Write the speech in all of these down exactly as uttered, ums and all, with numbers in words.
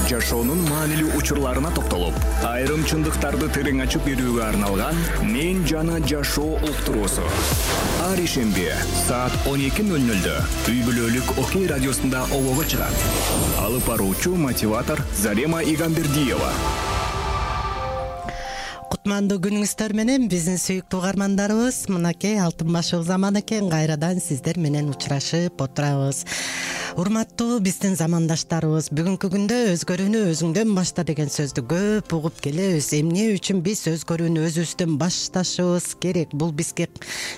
жашоонун маанилүү учурларына токтолуп, айрым чындыктарды терең ачып берүүгө арналган «Мен жана жашоо» уктуруусу. Ар ишемби саат он эки ноль нольдө үй бүлөлүк Окей радиосунда обого чыгат. Алып баруучу мотиватор Зарема Игамбердиева. Кутмандуу күнүңүздөр менен биздин сүйүктүү угармандарыбыз, мынакей алтын башык заман экен, кайрадан сиздер менен учурашып отурабыз. Урматтуу биздин замандаштарыбыз, бүгүнкү күндө өзгөрүүнү өзүңдөн башта деген сөздү көп угуп келебиз. Эмне үчүн биз өзгөрүүнү өзүбүздөн башташыбыз керек? Бул бизге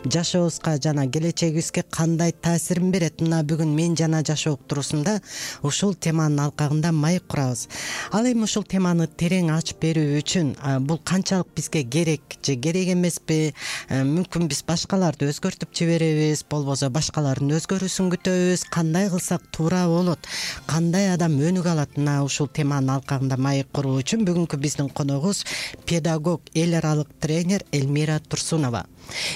жашообузга жана келечегибизге кандай таасирин берет? Мына бүгүн мен жана жашоо уктуруусунда ушул теманын алкагында маек курабыз. Ал эми ушул теманы терең ачып берүү үчүн бул канчалык бизге керек же керек эмеспи? Мүмкүн биз башкаларды өзгөртүп жиберебиз, болбосо башкалардын өзгөрүүсүн күтөбүз. Кандай кылсак туура болот? Кандай адам өнүк алат? Мына ушул теманын алкагында маек куруу үчүн бүгүнкү биздин коногубуз педагог, эл аралык тренер Элмира Турсунова.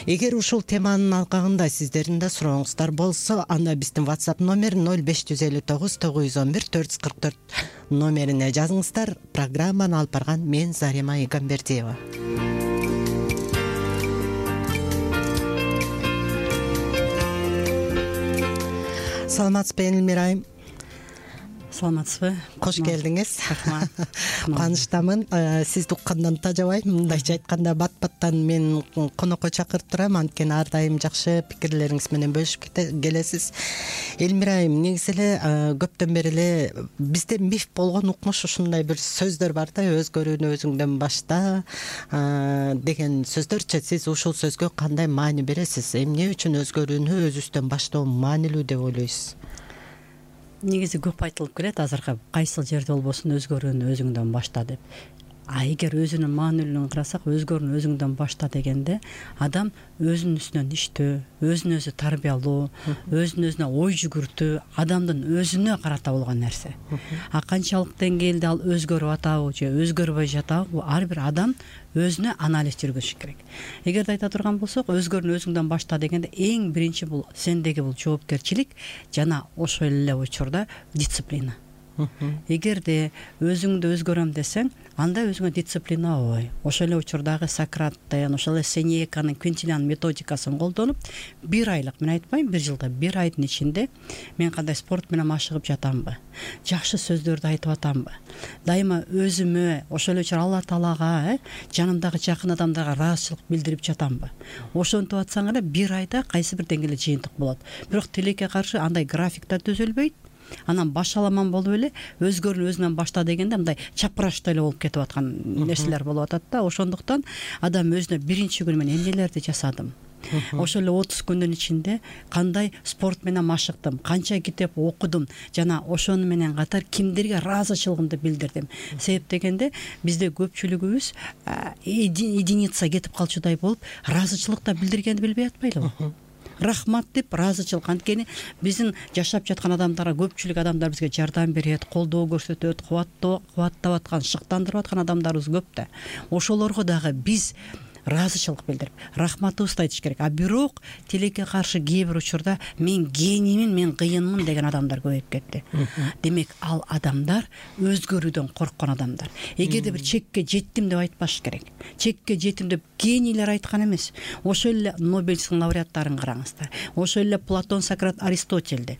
Эгер ушул теманын алкагында сиздердин да сурооңуздар болсо, анда биздин WhatsApp номер ноль беш жүз элүү тогуз тогуз жүз он бир төрт жүз кырк төрт номерине жазыңыздар. Программаны алып барган мен Зарема Игамбердиева. Саламатсызбы, Элмира айым? Саламатсызбы? Кош келдиңиз. Рахмат. Кубанычтамын. Сизди уккандан тажабайм. Мындайча айтканда бат-баттан мен конокко чакырып турам, анткени ар дайым жакшы пикирлериңиз менен бөлүшүп келесиз. Элмира айым, негизи эле көптөн бери эле бизде миф болгон укмуш ушундай бир сөздөр бар да, өзгөрүүнү өзүңдөн башта деген сөздөрчү. Сиз ушул сөзгө кандай маани бересиз? Эмне үчүн өзгөрүүнү өзүбүздөн баштоо маанилүү деп ойлойсуз? Негизи көп айтылып келет азыркы, кайсыл жерде болбосун өзгөрүүнү өзүңдөн башта деп. А эгер өзүнүн маанилүүлүгүн карасак, өзгөрүүнү өзүңдөн башта дегенде адам өзүнүн үстүнөн иштөө, өзүн өзү тарбиялоо, өзүн өзүнө ой жүгүртүү адамдын өзүнө карата болгон нерсе. А канчалык деңгээлде ал өзгөрүп атабы же өзгөрбөй жатабы, бул ар бир адам өзүнө анализ жүргүзүш керек. Эгерде айта турган болсок, өзгөрүүнү өзүңдөн башта дегенде эң биринчи бул сендеги бул жоопкерчилик жана ошол эле учурда дисциплина. Эгерде өзүңдү өзгөрөм десең, анда өзүңө дисциплина ой. Ошол эле учурдагы Сократтын, ошол эле Сенеканын Квинтилиан методикасын колдонуп, бир айлык, мен айтпайм бир жылда, бир айдын ичинде мен кандай спорт менен машыгып жатамбы, жакшы сөздөрдү айтып атамбы, дайыма өзүмө, ошол эле учур Алла Таалага, жанымдагы жакын адамдарга ыраазычылык билдирип жатамбы. Ошентип атсаң эле бир айда кайсы бир деңгээлде жыйынтык болот. Бирок тилекке каршы андай графикта түзүлбөйт. Анан башаламан болуп эле өзгөрүүнү өзүнөн башта дегенде мындай чапырашта эле болуп кетип аткан нерселер болуп атат да. Ошондуктан адам өзүнө биринчи күнү мен эмнелерди жасадым, ошол эле отуз күндүн ичинде кандай спорт менен машыктым, канча китеп окудум жана ошону менен катар кимдерге ыраазычылыгымды билдирдим. Себеп дегенде бизде көпчүлүгүбүз единица кетип калчудай болуп, ыраазычылык да билдиргенди билбей атпайлыбы? Рахмат деп ыраазычылык, анткени биздин жашап жаткан адамдарга көпчүлүк адамдар бизге жардам берет, колдоо көрсөтөт, кубаттоо кубаттап аткан, шыктандырып аткан адамдарыбыз көп да. Ошолорго дагы биз ыраазычылык билдирип, рахматыбызды айтыш керек. А бирок тилекке каршы кээ бир учурда мен гениймин, мен кыйынмын деген адамдар көбөйүп кетти. Демек, ал адамдар өзгөрүүдөн корккон адамдар. Эгерде бир чекке жеттим деп айтпаш керек. Чекке жеттим деп генийлер айткан эмес. Ошол эле Нобель лауреаттарын караңыздар. Ошол эле Платон, Сократ, Аристотельди,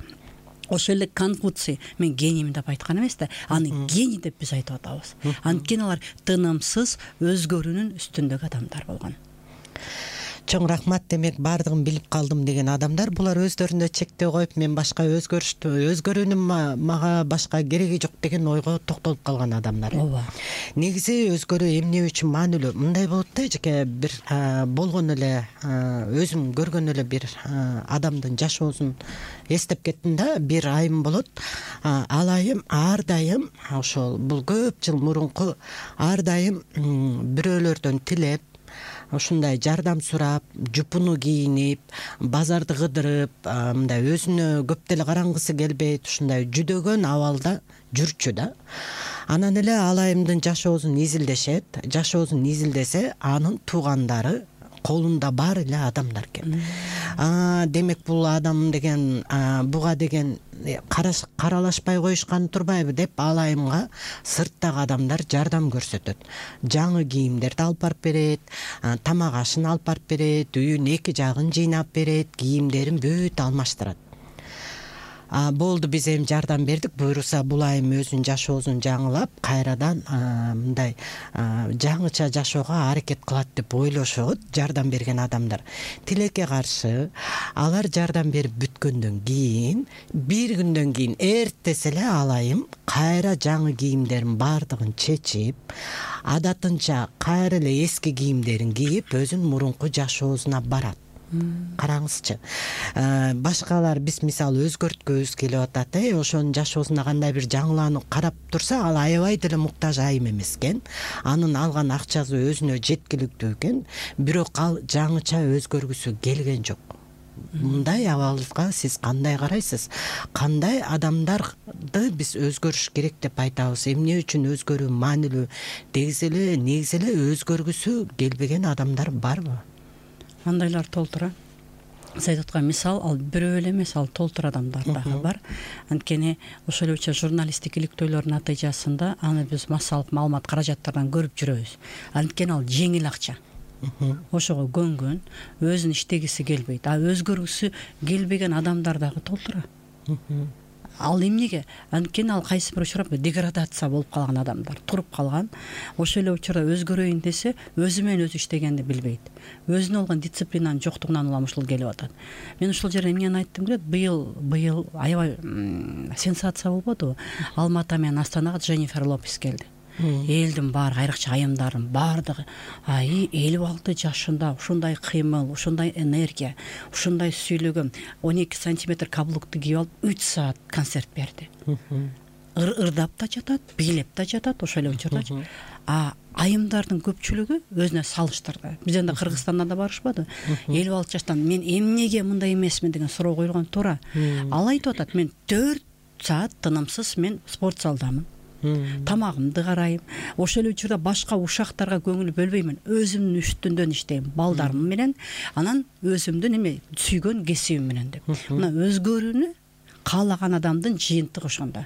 ошол эле Конфуций мен гениймин деп айткан эмес да, аны гений деп биз айтып атабыз. Анткени алар тынымсыз өзгөрүүнүн үстүндөгү адамдар болгон. Чоң рахмат. Демек, бардыгын билип калдым деген адамдар, булар өздөрүндө чектөө коюп, мен башка өзгөрүштү, өзгөрүүнүн мага башка кереги жок деген ойго токтолуп калган адамдар. Ооба. Негизи өзгөрүү эмне үчүн маанилүү? Мындай болот да, жеке бир болгон эле өзүм көргөн эле бир адамдын жашоосун эстеп кеттим да. Бир айым болот. Ал айым ар дайым ошол бул көп жыл мурунку ар дайым бирөөлөрдөн тилеп, ушундай жардам сурап, жупуну кийинип, базарды кыдырып, мындай өзүнө көп деле карангысы келбейт, ушундай жүдөгөн абалда жүрчү да. Анан эле ал айымдын жашоосун изилдешет. Жашоосун изилдесе, анын туугандары колунда бар эле адамдар экен. демек бул адам деген буга деген каралашпай коюшкан турбайбы деп ал айымга сырттагы адамдар жардам көрсөтөт. Жаңы кийимдерди алып барып берет, тамак ашын алып барып берет, үйүн эки жагын жыйнап берет, кийимдерин бүт алмаштырат. Болду, биз эми жардам бердик, буюрса бул айым өзүнүн жашоосун жаңылап кайрадан мындай жаңыча жашоого аракет кылат деп ойлошот жардам берген адамдар. Тилекке каршы алар жардам берип бүткөндөн кийин бир күндөн кийин эртеси эле ал айым кайра жаңы кийимдерин баардыгын чечип, адатынча кайра эле эски кийимдерин кийип өзүнүн мурунку жашоосуна барат. Караңызчы, башкалар биз мисалы өзгөрткөбүз келип атат, э ошонун жашоосуна кандай бир жаңыланып карап турса, ал аябай деле муктаж айым эмес экен. Анын алган акчасы өзүнө жеткиликтүү экен, бирок ал жаңыча өзгөргүсү келген жок. Мындай абалыбызга сиз кандай карайсыз? Кандай адамдарды биз өзгөрүш керек деп айтабыз? Эмне үчүн өзгөрүү маанилүү? Негизи эле негизи эле өзгөргүсү келбеген адамдар барбы? Андайлар толтура. Сиз айтып аткан мисал, ал бирөө эле эмес, ал толтура адамдар дагы бар. Анткени ошол эле журналисттик иликтөөлөрдүн натыйжасында аны биз массалык маалымат каражаттардан көрүп жүрөбүз. Анткени ал жеңил акча. Ошого көнгөн, өзүн иштегиси келбейт. А өзгөргүсү келбеген адамдар дагы толтура. Ал эмнеге? Анткени ал кайсы бир учурда деградация болуп калган адамдар, туруп калган. Ошол эле учурда өзгөрөйүн десе, өзү менен өзү иштегенди билбейт. Өзүнө болгон дисциплинанын жоктугунан улам ушул келип атат. Мен ушул жерде эмнени айттым келет? Быйыл быйыл аябай сенсация болбодубу? Алматы менен Астанага Дженнифер Лопес келди. Элдин баары, айрыкча айымдардын баардыгы ай элүү алты жашында ушундай кыймыл, ушундай энергия, ушундай сүйлөгөн, он эки сантиметр каблукту кийип алып үч саат концерт берди. Ырдап да жатат, бийлеп да жатат ошол эле учурдачы. А айымдардын көпчүлүгү өзүнө салыштырды. Бизден да Кыргызстандан да барышпады. элүү алты жаштан мен эмнеге мындай эмесмин деген суроо коюлган туура. Ал айтып атат, мен төрт саат тынымсыз мен спорт залдамын. Тамагымды карайм. Ошол эле учурда башка ушактарга көңүл бөлбөймүн. Өзүмдүн үстүндөн иштейм, балдарым менен, анан өзүмдүн эме сүйгөн кесибим менен деп. Мына өзгөрүүнү каалаган адамдын жыйынтыгы ошондо.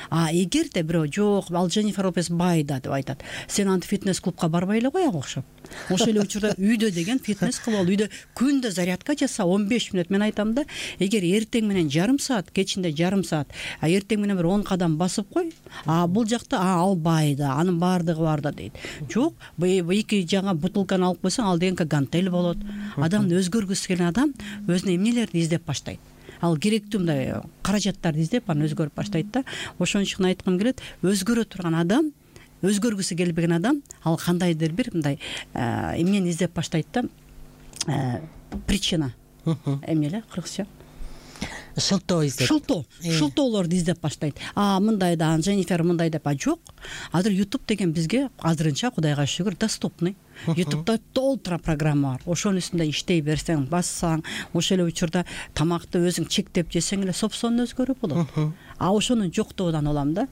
А эгерде бирөө жок, ал Дженнифер Лопес байда деп айтат. Сен антип фитнес клубка барбай эле кояга окшоп. Ошол эле учурда үйдө деген фитнес кылып ал, үйдө күндө зарядка жаса он беш мүнөт. Мен айтам да, эгер эртең менен жарым саат, кечинде жарым саат, а эртең менен бир он кадам басып кой. А бул жакта а ал байда, анын баардыгы бар да дейт. Жок, эки жаңа бутылканы алып койсоң, ал деген гантель болот. Адамды өзгөргүсү келген адам өзүнө эмнелерди издеп баштайт. Ал керектүү мындай каражаттарды издеп анан өзгөрүп баштайт да. Ошон үчүн айткым келет, өзгөрө турган адам, өзгөргүсү келбеген адам, ал кандайдыр бир мындай эмнени издеп баштайт да, причина. Эмне эле кыргызча? Шылтоо издеп. Шылтоо. Шылтоолорду издеп баштайт. А мындай да, Дженнифер мындай деп, а жок. Азыр YouTube деген бизге азырынча Кудайга шүгүр доступный. YouTube'да толтура программа бар. Ошонун үстүндө иштей берсең, бассаң, ошол эле учурда тамакты өзүң чектеп жесең эле сопсонун өзгөрүү болот. А ошонун жоктугунан улам да.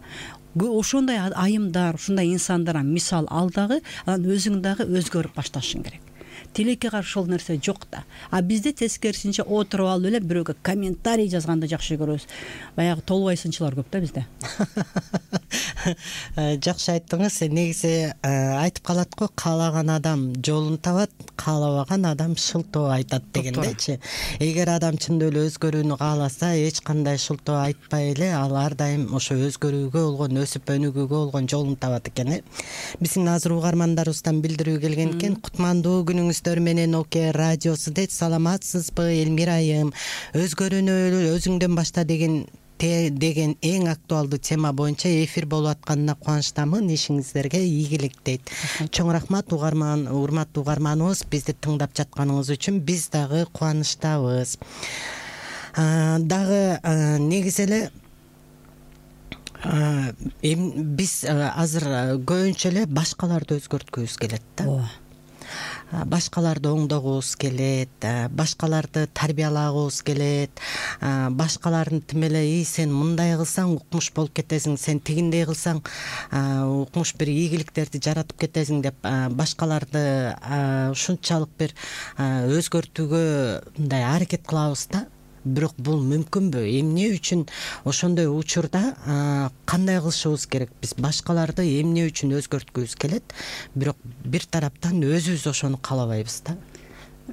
Ошондой айымдар, ушундай инсандардан мисал ал дагы, анан өзүң дагы өзгөрүп башташың керек. Тилекке каршы ошол нерсе жок да. А бизде тескерисинче отуруп алып эле бирөөгө комментарий жазганды жакшы көрөбүз. Баягы толбой сынчылар көп да бизде. Жакшы айттыңыз. Негизи айтып калат го, каалаган адам жолун табат, каалабаган адам шылтоо айтат дегендечи. Эгер адам чындап эле өзгөрүүнү кааласа, эч кандай шылтоо айтпай эле ал ар дайым ошо өзгөрүүгө болгон, өсүп өнүгүүгө болгон жолун табат экен. Биздин азыр угармандарыбыздан билдирүү келген экен. Кутмандуу күнүңүздөр менен Оке радиосу дейт. Саламатсызбы Элмира айым? Өзгөрүүнү өзүңдөн башта деген деген эң актуалдуу тема боюнча эфир болуп атканына кубанычтамын. Ишиңиздерге ийгилик дейт. Чоң рахмат угарман, урматтуу угарманыбыз, бизди тыңдап жатканыңыз үчүн биз дагы кубанычтабыз. Дагы негизи эле биз азыр көбүнчө эле башкаларды өзгөрткүбүз келет да. башкаларды оңдогубуз келет, башкаларды тарбиялагыбыз келет, башкалардын тим эле ий сен мындай кылсаң укмуш болуп кетесиң, сен тигиндей кылсаң укмуш бир ийгиликтерди жаратып кетесиң деп башкаларды ушунчалык бир өзгөртүүгө мындай аракет кылабыз да. Бирок бул мүмкүнбү? Эмне үчүн ошондой учурда кандай кылышыбыз керек? Биз башкаларды эмне үчүн өзгөрткүбүз келет, бирок бир тараптан өзүбүз ошону каалабайбыз да.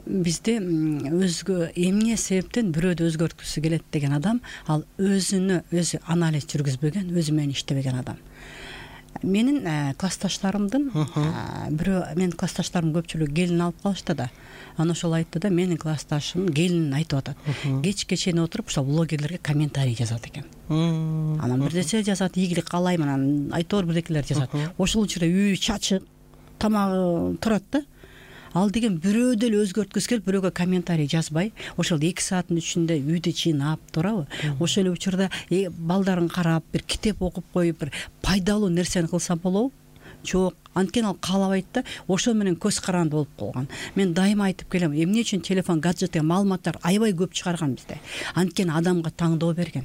Бизде өзгө эмне себептен бирөөдү өзгөрткүсү келет деген адам ал өзүнө өзү анализ жүргүзбөгөн, өзү менен иштебеген адам. Менин классташтарымдын бирөө, менин классташтарым көпчүлүгү келин алып калышты да. Аны ошол айтты да, менин классташым келин айтып атат. Кечке чейин отуруп ошол блогерлерге комментарий жазат экен. Анан бирдесе жазат, ийгилик каалайм, анан айтор бирдекелер жазат. Ошол учурда үй чачык, тамагы турат да. Ал деген бирөө деле өзгөрткүсү келип, бирөөгө комментарий жазбай, ошол эки сааттын ичинде үйдү чыйнап, туурабы? Ошол эле учурда балдарын карап, бир китеп окуп коюп, бир пайдалуу нерсени кылса болобу? Жок, анткени ал каалабайт да, ошо менен көз каранды болуп калган. Мен дайыма айтып келем, эмне үчүн телефон, гаджет деген маалыматтар аябай көп чыгарган бизде. Анткени адамга таңдоо берген.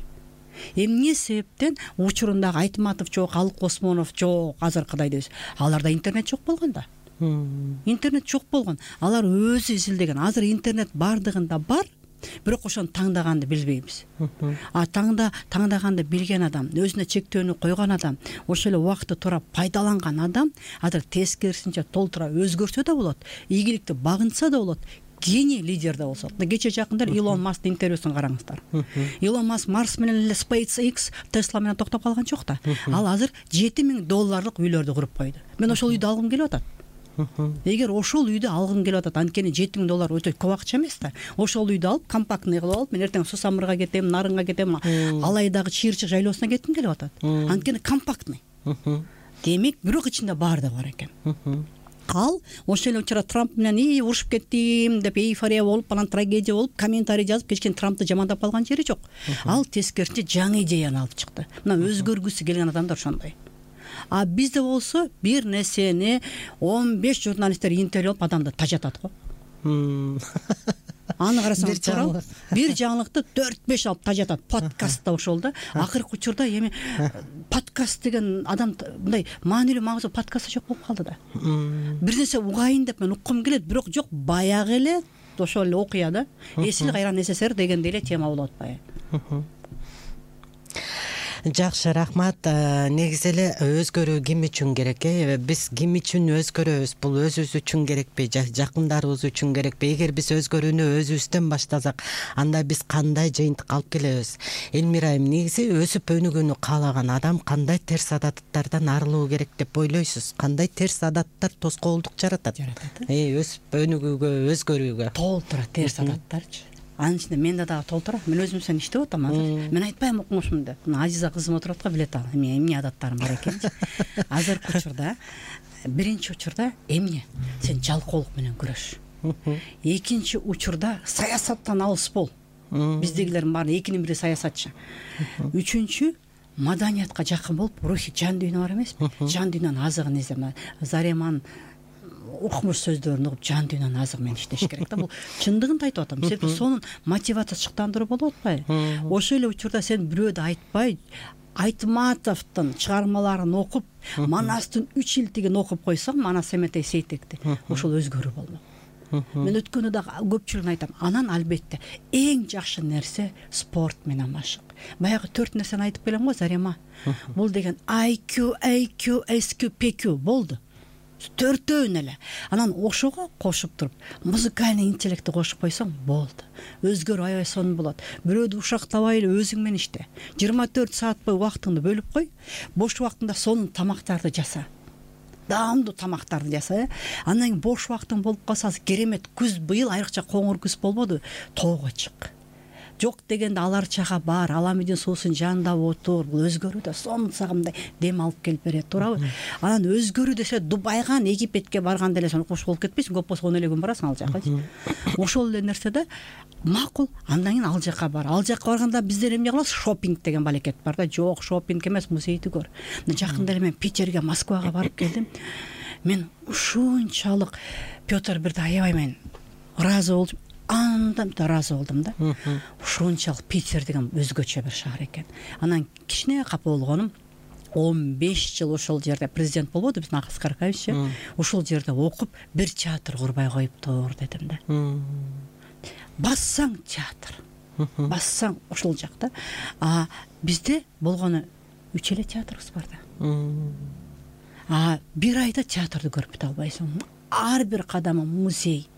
Эмне себептен учурундагы Айтматов жок, Алык Осмонов жок, азыркыдай дебиз. Аларда интернет жок болгон да. Интернет жок болгон. Алар өзү изилдеген. Азыр интернет бардыгында бар, бирок ошону таңдаганды билбейбиз. А таңда таңдаганды билген адам, өзүнө чектөөнү койгон адам, ошол эле убакытты туура пайдаланган адам азыр тескерисинче толтура өзгөрсө да болот, ийгиликти багынса да болот, гений лидер да болсо. Кече жакында Илон Масктын интервьюсун караңыздар. Илон Маск Марс менен эле SpaceX, Tesla менен токтоп калган жок да. Ал азыр жети миң долларлык үйлөрдү куруп койду. Мен ошол үйдү алгым келип атат. Эгер ошол үйдү алгым келип атат, анткени жети миң доллар өтө көп акча эмес да. Ошол үйдү алып, компактный кылып алып, мен эртең Сусамырга кетем, Нарынга кетем, Алайдагы Чыйырчык жайлоосуна кетким келип атат. Анткени компактный. Демек, бирок ичинде баары да бар экен. Ал ошол эле учурда Трамп менен ий урушуп кеттим деп эйфория болуп, анан трагедия болуп, комментарий жазып кечкен Трампты жамандап калган жери жок. Ал тескерисинче жаңы идеяны алып чыкты. Мына өзгөргүсү келген адамдар ошондой. А бизде болсо бир нерсени он беш журналисттер интервью алып адамды тажатат го. Аны карасаң туурабы? Бир жаңылыкты төрт беш алып тажатат. Подкаст да ошол да. Акыркы учурда эми подкаст деген адам мындай маанилүү маңызы подкастта жок болуп калды да. Бир нерсе угайын деп мен уккум келет, бирок жок, баягы эле ошол эле окуя да. Эсил кайран СССР дегенде эле тема болуп атпайбы? Жакшы, рахмат. Негизи эле өзгөрүү ким үчүн керек? Э? Биз ким үчүн өзгөрөбүз? Бул өзүбүз үчүн керекпи? Жакындарыбыз үчүн керекпи? Эгер биз өзгөрүүнү өзүбүздөн баштасак, анда биз кандай жыйынтык алып келебиз? Элмира айым, негизи өсүп өнүгүүнү каалаган адам кандай терс адаттардан арылуу керек деп ойлойсуз? Кандай терс адаттар тоскоолдук жаратат? Э, өсүп өнүгүүгө, өзгөрүүгө. Толтура терс адаттарчы. Анын ичинде менде дагы толтура. Мен өзүм сен иштеп атам азыр. Мен айтпайм укмушмун деп. Мына Азиза кызым отуруп атка билет ал. Эми эмне адаттарым бар экенчи. Азыркы учурда, биринчи учурда эмне? Сен жалкоолук менен күрөш. Экинчи учурда саясаттан алыс бол. Биздегилердин баары экинин бири саясатчы. Үчүнчү маданиятка жакын болуп, рухи жан дүйнө бар эмеспи? Жан дүйнөнүн азыгын издеме. Зареман укмуш сөздөрүн угуп, жан дүйнөнүн азыгы менен иштеш керек да. Бул чындыгын айтып атам. Себеби сонун мотивациячылыктандыруу болуп атпайбы? Ошол эле учурда сен бирөөдү айтпай, Айтматовдун чыгармаларын окуп, Манастын үч илтигин окуп койсоң, Манас Эметей Сейтекти, ошол өзгөрүү болмок. Мен өткөндө да көпчүлүгүн айтам. Анан албетте эң жакшы нерсе спорт менен машык. Баягы төрт нерсени айтып келем го, Зарема. Бул деген ай кью, эй кью, эс кью, пи кью болду. Төртөөн эле. Анан ошого кошуп туруп, музыкальный интеллектти кошуп койсоң болду. Өзгөрүү аябай сонун болот. Бирөөдү ушактабай эле өзүң менен иште. жыйырма төрт саат бою убактыңды бөлүп кой. Бош убактыңда сонун тамактарды жаса. Даамдуу тамактарды жаса. Андан кийин бош убактың болуп калса, керемет күз, быйыл айрыкча коңур күз болбоду? Тоого чык. Жок дегенде алар чага бар, Аламидин суусун жанында отур. Бул өзгөрүү да сонун сагымдай дем алып келип берет, туурабы? Анан өзгөрүү десе Дубайга, Египетке барганда эле сен укмуш болуп кетпейсиң, көп болсо он эле күн барасың ал жака. Ошол эле нерсе да макул. Андан кийин ал жака бар. Ал жака барганда биздер эмне кылабыз? Шопинг деген балекет бар да. Жок, шопинг эмес, музейди көр. Жакында эле мен Питерге, Москвага барып келдим. мен ушунчалык Петр бирде аябай мен ыраазы болдум, андан да ыраазы болдум да. Ушунчалык Питер деген өзгөчө бир шаар экен. Анан кичине капа болгонум, он беш жыл ошол жерде президент болбоду биздин Акыл Каракаевич. Ошол жерде окуп бир театр курбай коюптур дедим да. Бассаң театр, бассаң ошол жакта. А бизде болгону үч эле театрыбыз бар да. А бир айда театрды көрүп бите албайсың. Ар бир кадамы музей.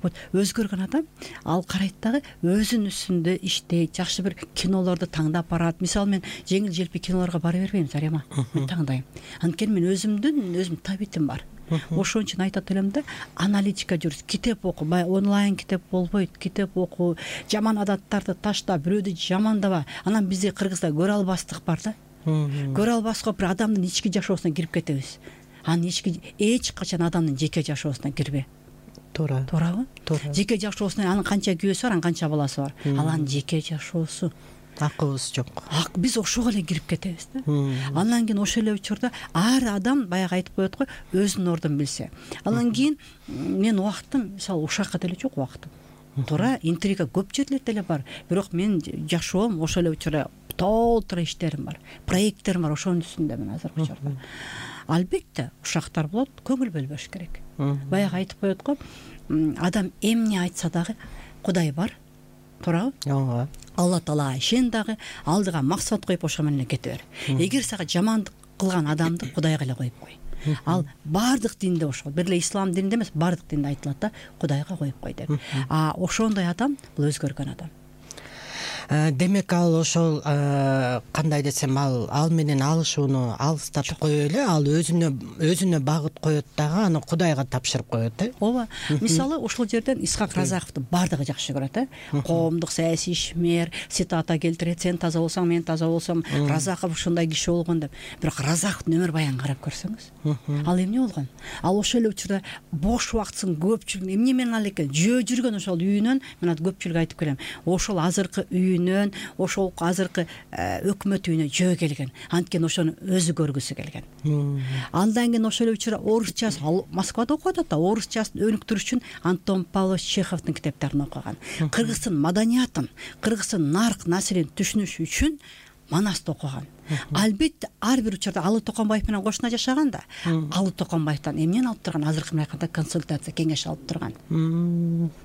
Вот өзгөргөн адам ал карайт дагы өзүнүн үстүндө иштейт, жакшы бир кинолорду таңдап барат. Мисалы мен жеңил желпи кинолорго бара бербейм, Зарема. Мен таңдайм. Анткени мен өзүмдүн өзүм табитим бар. Ошон үчүн айтат элем да, аналитика жүрүш, китеп оку, бай онлайн китеп болбойт, китеп оку, жаман адаттарды ташта, бирөөдү жамандаба. Анан бизде Кыргызда көрө албастык бар да. Көрө албаска бир адамдын ички жашоосуна кирип кетебиз. Анын ички эч качан адамдын жеке жашоосуна кирбе. Туура. Туурабы? Туура. Жеке жашоосуна анын канча күйөөсү бар, анын канча баласы бар. Ал анын жеке жашоосу. Акыбыз жок. Ак биз ошого эле кирип кетебиз да. Андан кийин ошол эле учурда ар адам баягы айтып коет го, өзүнүн ордун билсе. Андан кийин мен убактым, мисалы ушакка деле жок убактым. Туура, интрига көп жерлерде деле бар. Бирок мен жашоом ошол эле учурда толтура иштерим бар, проекттерим бар, ошонун үстүндө мен азыркы учурда. Албетте ушактар болот, көңүл бөлбөш керек. Баягы айтып коет го, адам эмне айтса дагы Кудай бар. Туурабы? Ооба. Алла Таалага ишен дагы, алдыга максат коюп ошо менен кете бер. Эгер сага жамандык кылган адамды Кудайга эле коюп кой. Ал бардык динде ошол, бир эле ислам дининде эмес, бардык динде айтылат да, Кудайга коюп кой деп. А ошондой адам бул өзгөргөн адам. Демек ал ошол кандай десем, ал ал менен алышууну алыстатып кое эле, ал өзүнө өзүнө багыт коет дагы, аны Кудайга тапшырып коет э. Ооба. Мисалы ошол жерден Исхак Разаковду бардыгы жакшы көрөт э. Коомдук саясий ишмер, цитата келтирет, сен таза болсоң, мен таза болсом, Разаков ушундай киши болгон деп. Бирок Разаковдун өмүр баянын карап көрсөңүз, ал эмне болгон? Ал ошол эле учурда бош убактысын көпчүлүк эмне менен ал экен? Жөө жүргөн ошол үйүнөн, мен ат көпчүлүк айтып келем. Ошол азыркы үйүнөн, ошол азыркы өкмөт үйүнө жөө келген. Анткени ошону өзү көргүсү келген. Андан кийин ошол эле учурда орусчасы, ал Москвада окуп атат да, орусчасын өнүктүрүш үчүн Антон Павлович Чеховдун китептарын окуган. Кыргыздын маданиятын, кыргыздын нарк насилин түшүнүш үчүн Манасты окуган. Албетте ар бир учурда Алы Токонбаев менен кошуна жашаган да. Алы Токонбаевтан эмнени алып турган? Азыркы менен айтканда консультация, кеңеш алып турган.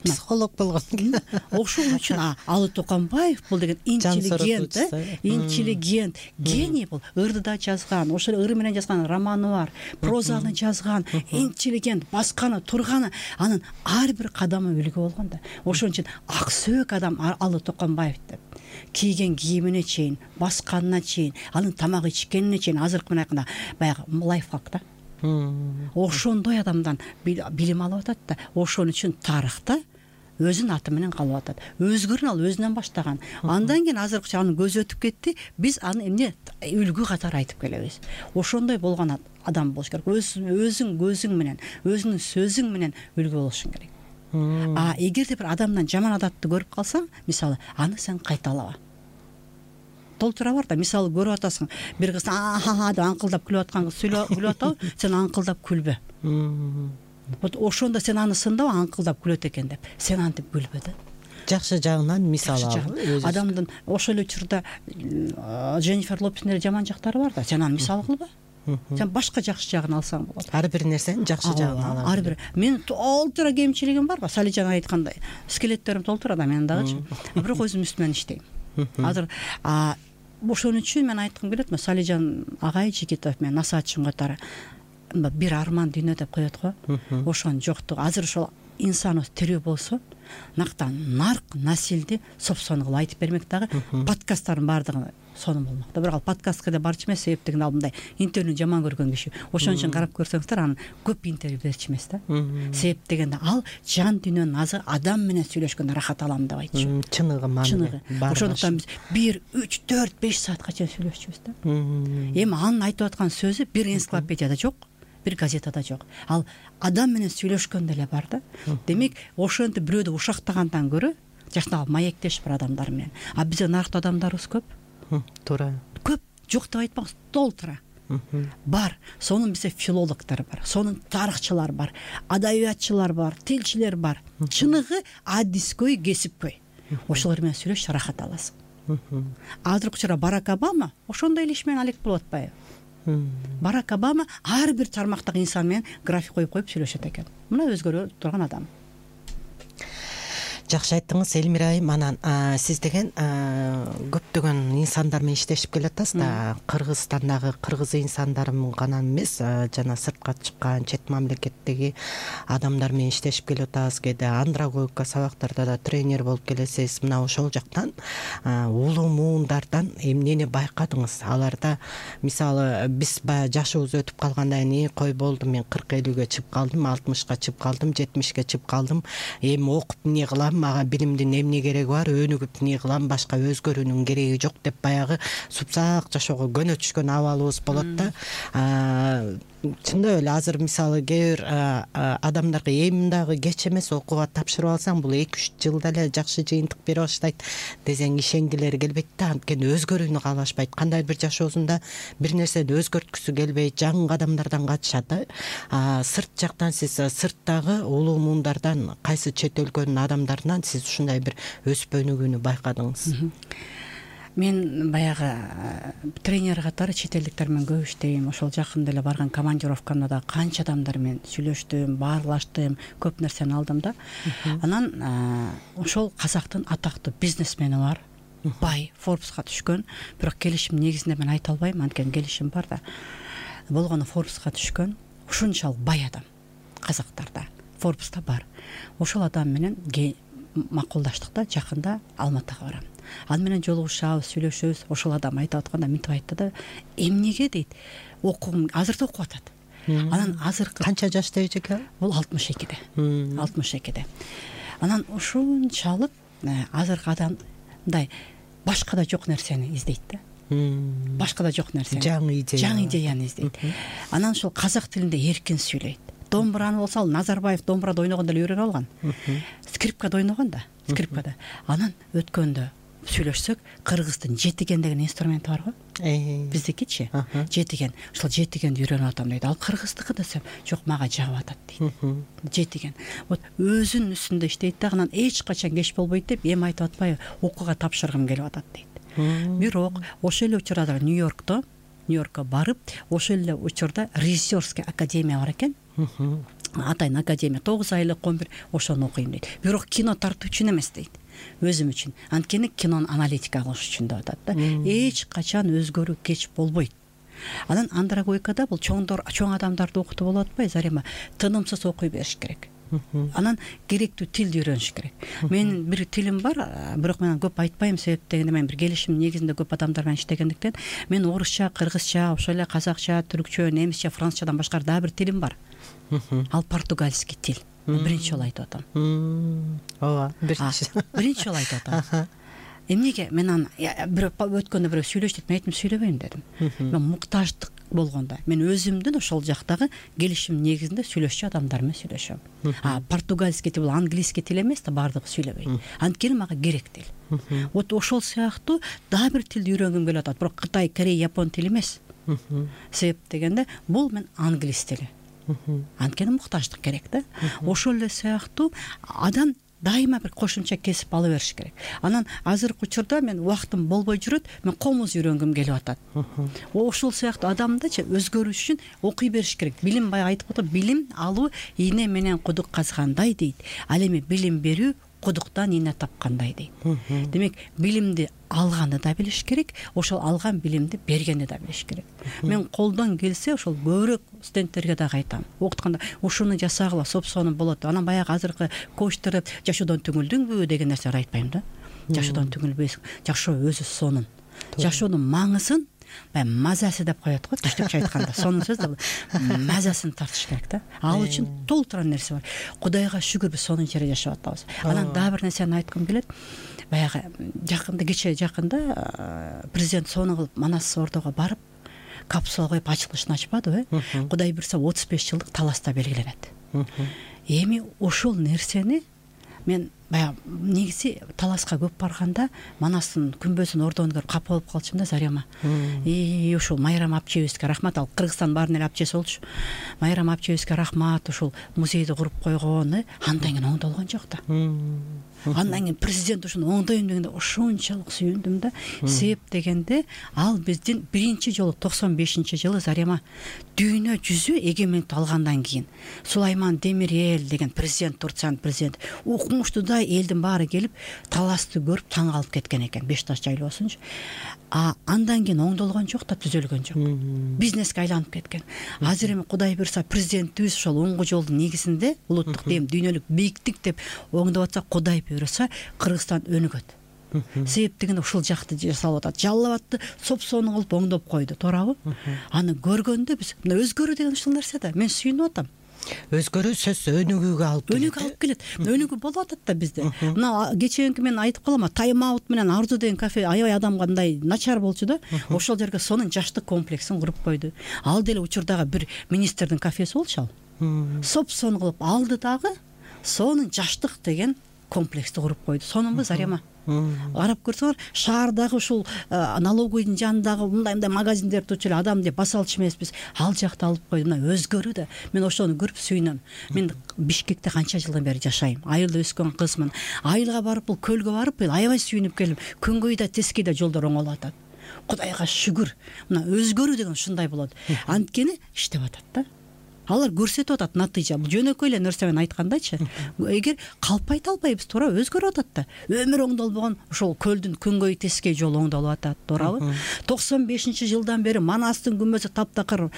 Психолог болгон. Ошол үчүн Алы Токонбаев бул деген интеллигент, интеллигент, гений бул. Ырдыда жазган, ошол ыры менен жазган романы бар, прозаны жазган, интеллигент, басканы, турганы, анын ар бир кадамы үлгү болгон да. Ошон үчүн ак сөөк адам Алы Токонбаев деп. Кийген кийимине чейин, басканына чейин, анын тамак ичкенине чейин, азыркы менен айтканда баягы лайфхак да. Ошондой адамдан билим алып атат да. Ошон үчүн тарыхта өзүнүн аты менен калып атат. Өзгөрүн ал өзүнөн баштаган. Андан кийин азыркыча анын көзү өтүп кетти. Биз аны эмне үлгү катары айтып келебиз. Ошондой болгон адам болуш керек. Өзүң көзүң менен, өзүнүн сөзүң менен үлгү болушуң керек. А эгерде бир адамдан жаман адатты көрүп калсаң, мисалы, аны сен кайталаба. Толтура бар да, мисалы көрүп атасың, бир кыз а-ха деп аңкылдап күлүп аткан кыз күлүп атабы, сен аңкылдап күлбө. Вот ошондо сен аны сындап аңкылдап күлөт экен деп, сен антип күлбө да. Жакшы жагынан мисал алып. Адамдын ошол эле учурда Дженнифер Лопестин эле жаман жактары бар да, сен аны мисал кылба. Сен башка жакшы жагын алсаң болот. Ар бир нерсенин жакшы жагын алам. Ар бир. Мен толтура кемчилигим бар, Салижан айткандай. Скелеттерим толтура да менин дагычы. Бирок өзүм үстүмөн иштейм. Азыр а ошон үчүн мен айткым келет, Салижан агай Жигитов менен насаатчым катары бир арман дүйнө деп коет го. Ошонун жоктугу. Азыр ошол инсаныбыз тирүү болсо, нактан нарк насилди собственный айтып бермек дагы, подкасттардын баардыгы сонун болмок да. Бирок ал подкастка да барчу эмес, себеп деген ал мындай интервьюну жаман көргөн киши. Ошон үчүн карап көрсөңүздөр, анын көп интервью берчү эмес да. Себеп дегенде ал жан дүйнөнүн азы адам менен сүйлөшкөндө рахат алам деп айтчу. Чыныгы маанилүү. Ошондуктан биз бир, үч, төрт, беш саатка чейин сүйлөшчүбүз да. Эми анын айтып аткан сөзү бир энциклопедияда жок, бир газетада жок. Ал адам менен сүйлөшкөндө эле бар да. Демек, ошентип бирөөдү ушактагандан көрө жакшыраак маектеш бир адамдар менен. А бизде наркта адамдарыбыз көп. Туура. Көп, жок деп айтпаңыз, толтура. бар. Сонун бизде филологдор бар, сонун тарыхчылар бар, адабиятчылар бар, тилчилер бар. Чыныгы адискөй, кесипкөй. Ошолор менен сүйлөшүп рахат аласың. Азыркы учурда Барак Обама ошондой эле иш менен алек болуп атпайбы? Барак Обама ар бир тармактагы инсан менен график коюп коюп сүйлөшөт экен. Мына өзгөрө турган адам. Жакшы айттыңыз, Элмира айым. Анан сиз деген көптөгөн инсандар менен иштешип келатасыз да. Кыргызстандагы кыргыз инсандары гана эмес, жана сыртка чыккан чет мамлекеттеги адамдар менен иштешип келатасыз. Кээде андрогогика сабактарда да тренер болуп келесиз. Мына ошол жактан улуу муундардан эмнени байкадыңыз? Аларда мисалы биз баягы жашыбыз өтүп калгандан кийин кой болду, мен кырк элүүгө чыгып калдым, алтымышка чыгып калдым, жетимишке чыгып калдым. Эми окуп эмне кылам? Мага билимдин эмне кереги бар, өнүгүп эмне кылам, башка өзгөрүүнүн кереги жок деп баягы супсак жашоого көнө түшкөн абалыбыз болот да. Чындап эле азыр мисалы кээ бир адамдарга эми дагы кеч эмес, окууга тапшырып алсаң бул эки үч жылда эле жакшы жыйынтык бере баштайт десең ишенгилери келбейт да. Анткени өзгөрүүнү каалашпайт, кандайдыр бир жашоосунда бир нерсени өзгөрткүсү келбейт, жаңы кадамдардан качышат да. Сырт жактан сиз сырттагы улуу муундардан, кайсы чет өлкөнүн адамдарынан сиз ушундай бир өсүп өнүгүүнү байкадыңыз? Мен баягы тренер катары чет элдиктер менен көп иштейм. Ошол жакында эле барган командировкамда да канча адамдар менен сүйлөштүм, баарлаштым, көп нерсени алдым да. Анан ошол казактын атактуу бизнесмени бар, бай, Forbes'ка түшкөн. Бирок келишим негизинде мен айта албайм, анткени келишим бар да. Болгону Forbes'ка түшкөн, ушунчалык бай адам казактарда. Forbes'та бар. Ошол адам менен макулдаштык да, жакында Алматыга барам. Ал менен жолугушабыз, сүйлөшөбүз. Ошол адам айтып атканда мынтип айтты да, эмнеге дейт, окугум азырда окуп атат. Анан азыркы канча жашта экен? Бул алтымыш экиде. алтымыш экиде. Анан ушунчалык азыркы адам мындай башка да жок нерсени издейт да. Башка да жок нерсени. Жаңы идея. Жаңы идеяны издейт. Анан ошол казак тилинде эркин сүйлөйт. Домбураны болсо, ал Назарбаев домбурада ойногондо эле үйрөнүп алган. Скрипкада ойногон да, скрипкада. Анан өткөндө сүйлөшсөк, кыргыздын жетиген деген инструменти бар го. Биздикичи жетиген. Ошол жетигенди үйрөнүп атам дейт. Ал кыргыздыкы десем, жок, мага жагып атат дейт. Жетиген. Вот өзүнүн үстүндө иштейт да, анан эч качан кеч болбойт деп эми айтып атпайбы, окууга тапшыргым келип атат дейт. Бирок ошол эле учурда Нью-Йоркто, Нью-Йоркко барып, ошол эле учурда режиссерский академия бар экен. Атайын академия, тогуз айлык он бир, ошону окуйм дейт. Бирок кино тартуу үчүн эмес дейт. Өзүм үчүн. Анткени кинонун аналитика кылыш үчүн деп атат да. Эч качан өзгөрүү кеч болбойт. Анан андрогогикада бул чоңдор, чоң адамдарды окутуп болуп атпайбы, Зарема? Тынымсыз окуй бериш керек. Анан керектүү тилди үйрөнүш керек. Менин бир тилим бар, бирок мен көп айтпайм, себеп дегенде мен бир келишим негизинде көп адамдар менен иштегендиктен, мен орусча, кыргызча, ошол эле казакча, түркчө, немисче, францчадан башкары дагы бир тилим бар. Ал португальский тил. Биринчи жолу айтып атам. Ооба, биринчи. Биринчи жолу айтып атам. Эмнеге мен аны бирөө өткөндө бирөө сүйлөш дейт, мен айттым, сүйлөбөйм дедим. Мен муктаждык болгондо мен өзүмдүн ошол жактагы келишим негизинде сүйлөшчү адамдар менен сүйлөшөм. А португальский тил бул английский тил эмес да, бардыгы сүйлөбөйт. Анткени мага керек тил. Вот ошол сыяктуу дагы бир тилди үйрөнгүм келип атат, бирок Кытай, Корей, Япон тили эмес. Себеп дегенде бул мен англис тили. Анткени муктаждык керек да. Ошол эле сыяктуу адам дайыма бир кошумча кесип ала бериш керек. Анан азыркы учурда мен убактым болбой жүрөт, мен комуз үйрөнгүм келип атат. Ошол сыяктуу адамдычы өзгөрүш үчүн окуй бериш керек. Билим, баягы айтып атат, билим алуу ийне менен кудук казгандай дейт. Ал эми билим берүү кудуктан ийне тапкандай дейт. Демек, билимди алганды да билиш керек, ошол алган билимди бергенди да билиш керек. Мен колдон келсе ошол көбүрөөк студенттерге дагы айтам. Окутканда ушуну жасагыла, сопсону болот. Анан баягы азыркы коучтар жашоодон түңүлдүңбү деген нерселер айтпайм да. Жашоодон түңүлбөйсүң. Жашоо өзү сонун. Жашоонун маңызын баягы мазасы деп коет го, түштүкчө айтканда. Сонун сөз да, мазасын тартыш керек да. Ал үчүн толтуран нерсе бар. Кудайга шүгүр, биз сонун жерде жашап атабыз. Анан дагы бир нерсени айткым келет. Баягы жакында, кече жакында президент сону кылып Манас Ордого барып, капсула коюп ачылышын ачпадыбы? Кудай буйрса отуз беш жылдык таласта белгиленет. Эми ошол нерсени мен баягы негизи таласка көп барганда Манастын күмбөзүн ордону көрүп капа болуп калчумун да Зарема. И ушул Майрам апчебизге рахмат. Ал Кыргызстан баарын эле апчеси болчу. Майрам апчебизге рахмат, ушул музейди куруп койгон. Андан кийин оңдолгон жок да. Андан кийин президент ушуну оңдойм дегенде ошончолук сүйүндүм да. Себеп дегенде ал биздин биринчи жолу токсон бешинчи жылы Зарема дүйнө жүзү эгемендикти алгандан кийин Сулайман Демирел деген президент, Турциянын президенти, укмуштуудай элдин баары келип таласты көрүп таң калып кеткен экен, Беш таш жайлоосунчу. А андан кийин оңдолгон жок да, түзөлгөн жок. Бизнеске айланып кеткен. Азыр эми Кудай буйрса президентибиз ошол оңгу жолдун негизинде улуттук дем, дүйнөлүк бийиктик деп оңдоп атса, Кудай буйрса Кыргызстан өнүгөт. Себеп дегенде ушул жакты жасалып атат. Жаллап атты, сопсону кылып оңдоп койду, туурабы? Аны көргөндө биз мына өзгөрүү деген ушул нерсе да. Мен сүйүнүп атам. Өзгөрүү сөз өнүгүүгө алып келет. Өнүгүү алып келет. Өнүгүү болуп атат да бизде. Мына кечээинки мен айтып калам, тайм-аут менен Арзу деген кафе аябай адамга мындай начар болчу да. Ошол жерге сонун жаштык комплексин куруп койду. Ал деле учурдагы бир министрдин кафеси болчу ал. Сопсону кылып алды дагы, сонун жаштык деген комплексти куруп койду. Сонунбу Зарема? Карап көрсөңөр, шаардагы ушул налоговыйдын жанындагы мындай-мындай магазиндерди турчу эле адам деп баса алчу эмеспиз. Ал жакта алып койду. Мына өзгөрүү да. Мен ошону көрүп сүйүнөм. Мен Бишкекте канча жылдан бери жашайм. Айылда өскөн кызмын. Айылга барып, бул көлгө барып, аябай сүйүнүп келдим. Күнгөй да, тескей да жолдор оңолуп атат. Кудайга шүгүр. Мына өзгөрүү деген ушундай болот. Анткени иштеп атат да. Алар көрсөтүп атат натыйжа. Бул жөнөкөй эле нерсе менен айткандайчы. Эгер калп айта албайбыз, туура өзгөрүп атат да. Өмүр оңдолбогон ошол көлдүн күнгөй тескей жолу оңдолуп атат, туурабы? токсон бешинчи жылдан бери Манастын күмбөзү таптакыр,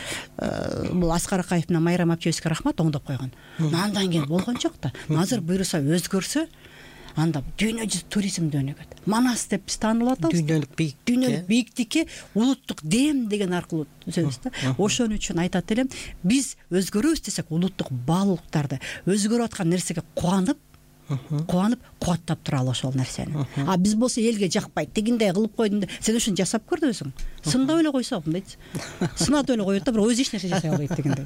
бул Аскар Акаев менен Майрам апчебизге рахмат оңдоп койгон. Андан кийин болгон жок да. Азыр буйруса өзгөрсө, анда дүйнө жүзү туризмди өнүгөт. Манас деп биз таанылып атабыз. Дүйнөлүк бийиктик. Дүйнөлүк бийиктикке улуттук дем деген аркылуу түзөбүз да. Ошон үчүн айтат элем, биз өзгөрөбүз десек, улуттук баалуулуктарды, өзгөрүп аткан нерсеге кубанып, кубанып, кубаттап туралы ошол нерсени. А биз болсо элге жакпайт, тигиндей кылып койдум. Сен ушуну жасап көрдү өзүң. Сындап эле койсо, мындайчы. Сынап эле коет да, бирок өзү эч нерсе жасай албайт дегендей.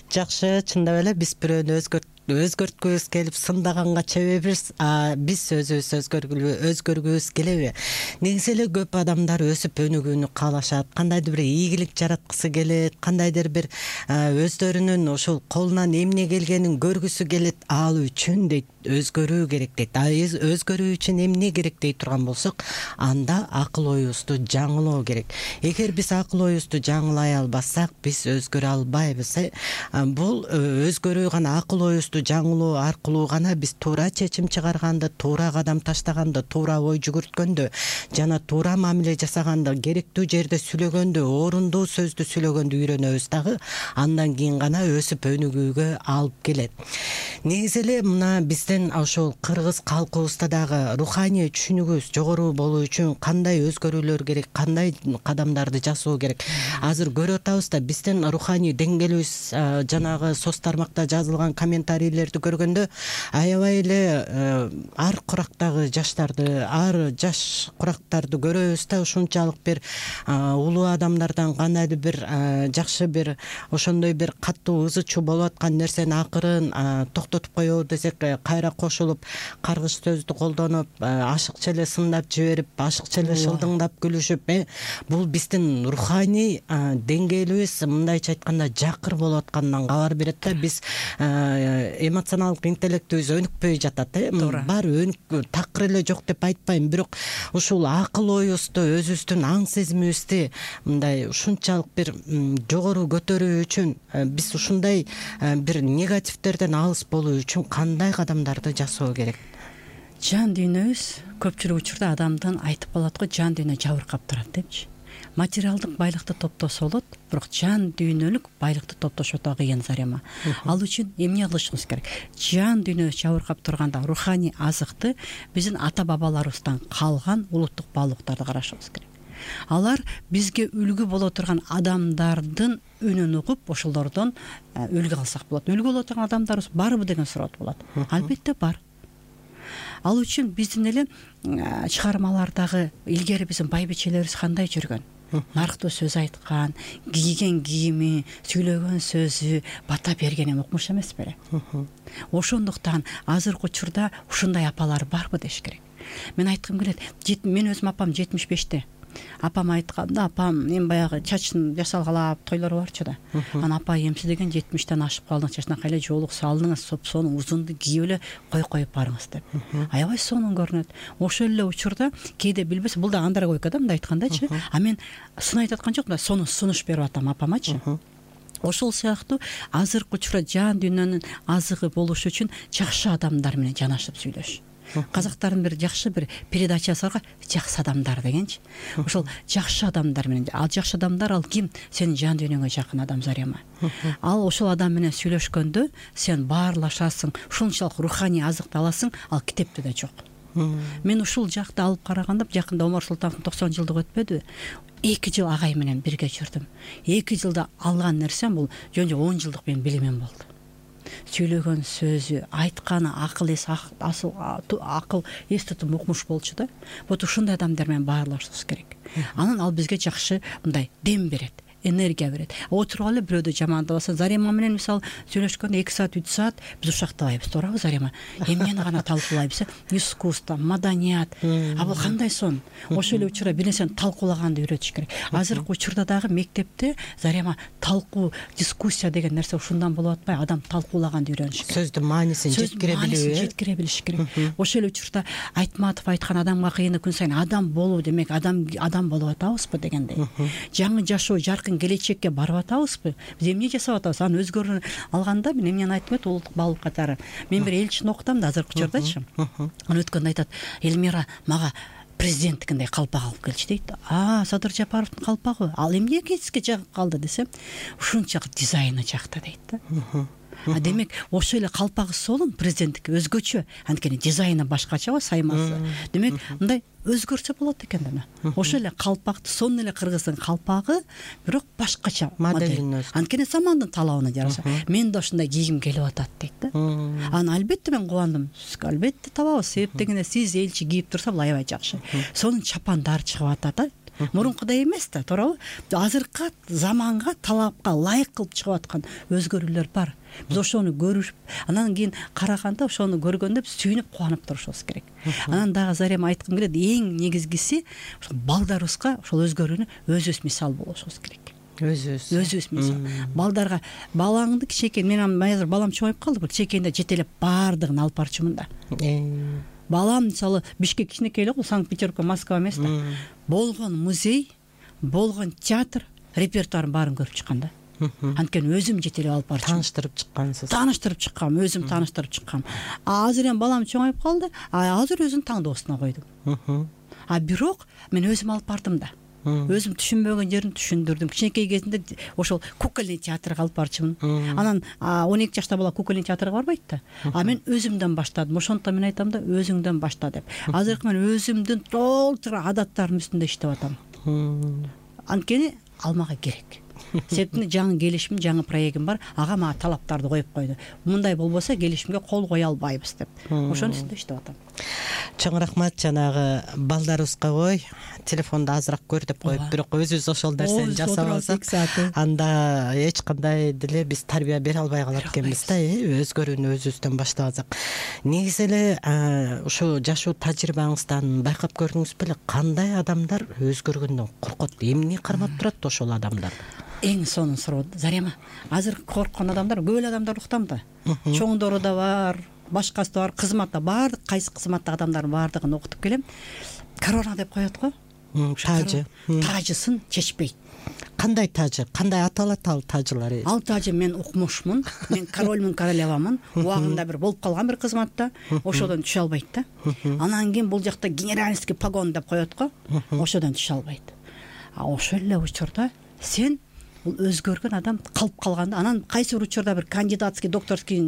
Жакшы, чындап эле биз бирөөнү өзгөрт өзгөрткүбүз келип сындаганга чебебиз, а биз өзүбүз өзгөргүлү өзгөргүбүз келеби? Негизи эле көп адамдар өсүп өнүгүүнү каалашат, кандайдыр бир ийгилик жараткысы келет, кандайдыр бир өздөрүнүн ошол колунан эмне келгенин көргүсү келет. Ал үчүн дейт өзгөрүү керек дейт. А өзгөрүү үчүн эмне керек дей турган болсок, анда акыл оюбузду жаңылоо керек. Эгер биз акыл оюбузду жаңылай албасак, биз өзгөрө албайбыз. Бул өзгөрүү гана акыл оюбузду жаңылоо аркылуу гана биз туура чечим чыгарганда, туура кадам таштаганда, туура ой жүгүрткөндө жана туура мамиле жасаганда, керектүү жерде сүйлөгөндө, орундуу сөздү сүйлөгөндө үйрөнөбүз дагы. Андан кийин гана өсүп өнүгүүгө алып келет. Негизи эле мына биздин ошол кыргыз калкыбызда дагы руханий түшүнүгүбүз жогору болуу үчүн кандай өзгөрүүлөр керек, кандай кадамдарды жасоо керек. Азыр көрүп атабыз да, биздин руханий деңгээлибиз жанагы соц тармакта жазылган комментарийлерди көргөндө аябай эле ар курактагы жаштарды, ар жаш курактарды көрөбүз да, ушунчалык бир улуу адамдардан кандайдыр бир жакшы бир ошондой бир катуу ызы чуу болуп аткан нерсени акырын токтотуп коебу десек, кайра кошулуп каргыш сөздү колдонуп, ашыкча эле сындап жиберип, ашыкча эле шылдыңдап күлүшүп, бул биздин руханий деңгээлибиз мындайча айтканда жакыр болуп атканынан кабар берет да. Биз эмоционалдык интеллектибиз өнүкпөй жатат, э бар өнүк такыр эле жок деп айтпайм, бирок ушул акыл оюбузду, өзүбүздүн аң сезимибизди мындай ушунчалык бир жогору көтөрүү үчүн, биз ушундай бир негативдерден алыс болуу үчүн кандай кадамдарды жасоо керек? Жан дүйнөбүз көпчүлүк учурда адамдын айтып калат го, жан дүйнө жабыркап турат депчи. Материалдык байлыкты топтосо болот, бирок жан дүйнөлүк байлыкты топтошо да кыйын, Зарема. Ал үчүн эмне кылышыбыз керек? Жан дүйнөбүз жабыркап турганда руханий азыкты биздин ата бабаларыбыздан калган улуттук баалуулуктарды карашыбыз керек. Алар бизге үлгү боло турган адамдардын үнүн угуп, ошолордон үлгү алсак болот. Үлгү боло турган адамдарыбыз барбы деген суроо болот. Албетте бар. Ал үчүн биздин эле чыгармалардагы илгери биздин байбичелерибиз кандай жүргөн? нарктуу сөз айткан, кийген кийими, сүйлөгөн сөзү бата берген эми укмуш эмес беле. Ошондуктан азыркы учурда ушундай апалар барбы деш керек. Мен айткым келет, мен өзүм апам жетимиш беште. Апам айтканда, апам эми баягы чачын жасалгалап тойлор барчу да. Анан апа эмсидеген жетимиштен ашып калдың, чачына кайла жоолук салдыңыз, соп-сонун узунду кийип эле кой коюп барыңыз деп. Аябай сонун көрүнөт. Ошол эле учурда кээде билбесе, бул да андрогойка да, мындай айткандачы. А мен сын айтып аткан жокмун, сонун сунуш берип атам апамачы. Ошол сыяктуу азыркы учурда жан дүйнөнүн азыгы болуш үчүн жакшы адамдар менен жанашып сүйлөш. Казактардын бир жакшы бир передачасы барга, жакшы адамдар дегенчи. Ошол жакшы адамдар менен, ал жакшы адамдар ал ким? Сенин жан дүйнөңө жакын адам Зарема. Ал ошол адам менен сүйлөшкөндө сен баарлашасың, ушунчалык руханий азыкты аласың, ал китепте да жок. Мен ушул жакты алып караганда, жакында Омар Султановдун токсон жылдык өтпөдүбү? эки жыл агай менен бирге жүрдүм. эки жылда алган нерсем бул жөн-жөн он жылдык менин билимим болду. Сүйлөгөн сөзү, айтканы акыл эс, асыл акыл эс тутум укмуш болчу да. Вот ушундай адамдар менен баарлашыбыз керек. Анан ал бизге жакшы мындай дем берет, энергия берет. Отуруп эле бирөөдү жамандабаса, Зарема менен мисалы сүйлөшкөндө эки саат үч саат биз ушактабайбыз, туурабы Зарема? Эмнени гана талкуулайбыз? Искусство, маданият. А бул кандай сон? Ошол эле учурда бир нерсени талкуулаганды үйрөтүш керек. Азыркы учурда дагы мектепте Зарема талкуу, дискуссия деген нерсе ушундан болуп атпайбы? Адам талкуулаганды үйрөнүш керек. Сөздүн маанисин жеткире билүү, жеткире билиш керек. Ошол эле учурда Айтматов айткан адамга кыйыны күн сайын адам болуу демек адам адам болуп атабызбы дегендей. Жаңы жашоо, жаркын келечекке барып атабызбы? Биз эмне жасап атабыз? Аны өзгөрүп алганда мен эмнени айтып эт улуттук баалуу катары. Мен бир элчини окутам да азыркы учурдачы. Аны өткөндө айтат, Элмира мага президенттикиндей калпак алып келчи дейт. А, Садыр Жапаровдун калпагы. Ал эмне кетиске жагып калды десем, ушунчалык дизайны жакта дейт да. А демек ошол эле калпагы солун президенттики өзгөчө, анткени дизайны башкача, саймасы. Демек мындай өзгөрсө болот экен да. Ошол эле калпакты, сонун эле кыргыздын калпагы, бирок башкача модель. Анткени замандын талабына жараша. Мен да ошондой кийгим келип атат дейт да. Аны албетте мен кубандым. Албетте табабыз. Себеп дегенде сиз элчи кийип турса, бул аябай жакшы. Сонун чапандар чыгып атат да. Мурункудай эмес да, туурабы? Азыркы заманга, талапка ылайык кылып чыгып аткан өзгөрүүлөр бар. Биз ошону көрүп, анан кийин караганда ошону көргөндө биз сүйүнүп кубанып турушубуз керек. Анан дагы Зарема айткым келет, эң негизгиси балдарыбызга ошол өзгөрүүнү өзүбүз мисал болушубуз керек. Өзүбүз. Өзүбүз мисал. Балдарга балаңды кичекей, мен азыр балам чоңоюп калды, бир чекейинде жетелеп баардыгын алып барчумун да. Балам мисалы Бишкек кичинекей эле го, Санкт-Петербург, Москва эмес да. Болгон музей, болгон театр, репертуарын баарын көрүп чыккан да. Анткени өзүм жетелеп алып барчумун. Тааныштырып чыккансыз. Тааныштырып чыккам, өзүм тааныштырып чыккам. А азыр эми балам чоңоюп калды, а азыр өзүнүн таңдоосуна койдум. А бирок мен өзүм алып бардым да. Өзүм түшүнбөгөн жерин түшүндүрдүм. Кичинекей кезинде ошол кукольный театрга алып барчумун. Анан он эки жашта бала кукольный театрга барбайт да. А мен өзүмдөн баштадым. Ошондуктан мен айтам да, өзүңдөн башта деп. Азыркы мен өзүмдүн толтура адаттарым үстүндө иштеп атам. Анткени ал мага керек. Себеби жаңы келишим, жаңы проектим бар. Ага мага талаптарды коюп койду. Мындай болбосо келишимге кол кое албайбыз деп. Ошонун үстүндө иштеп атам. Чоң рахмат, жанагы балдарыбызга ой, телефонду азыраак көр деп коюп, бирок өзүбүз ошол нерсени жасап алсак, анда эч кандай деле биз тарбия бере албай калат экенбиз да, өзгөрүүнү өзүбүздөн баштап алсак. Негизи эле ушу жашоо тажрыйбаңыздан байкап көрдүңүз беле, кандай адамдар өзгөргөндөн коркот? Эмне кармап турат ошол адамдар? Эң сонун суроо Зарема. Азыр корккон адамдар, көп эле адамдар уктам да. Чоңдору да бар, башкасы да бар, кызматта баардык кайсы кызматтагы адамдардын баардыгын окутуп келем. Корона деп коет го. Тажы. Тажысын чечпейт. Кандай тажы? Кандай аталат ал тажылар? Ал тажы мен укмушмун. Мен корольмун, королевамын. Убагында бир болуп калган бир кызматта, ошодон түшө албайт да. Анан кийин бул жакта генеральский погон деп коет го. Ошодон түшө албайт. А ошол эле учурда сен бул өзгөргөн адам калып калганда, анан кайсы бир учурда бир кандидатский, докторский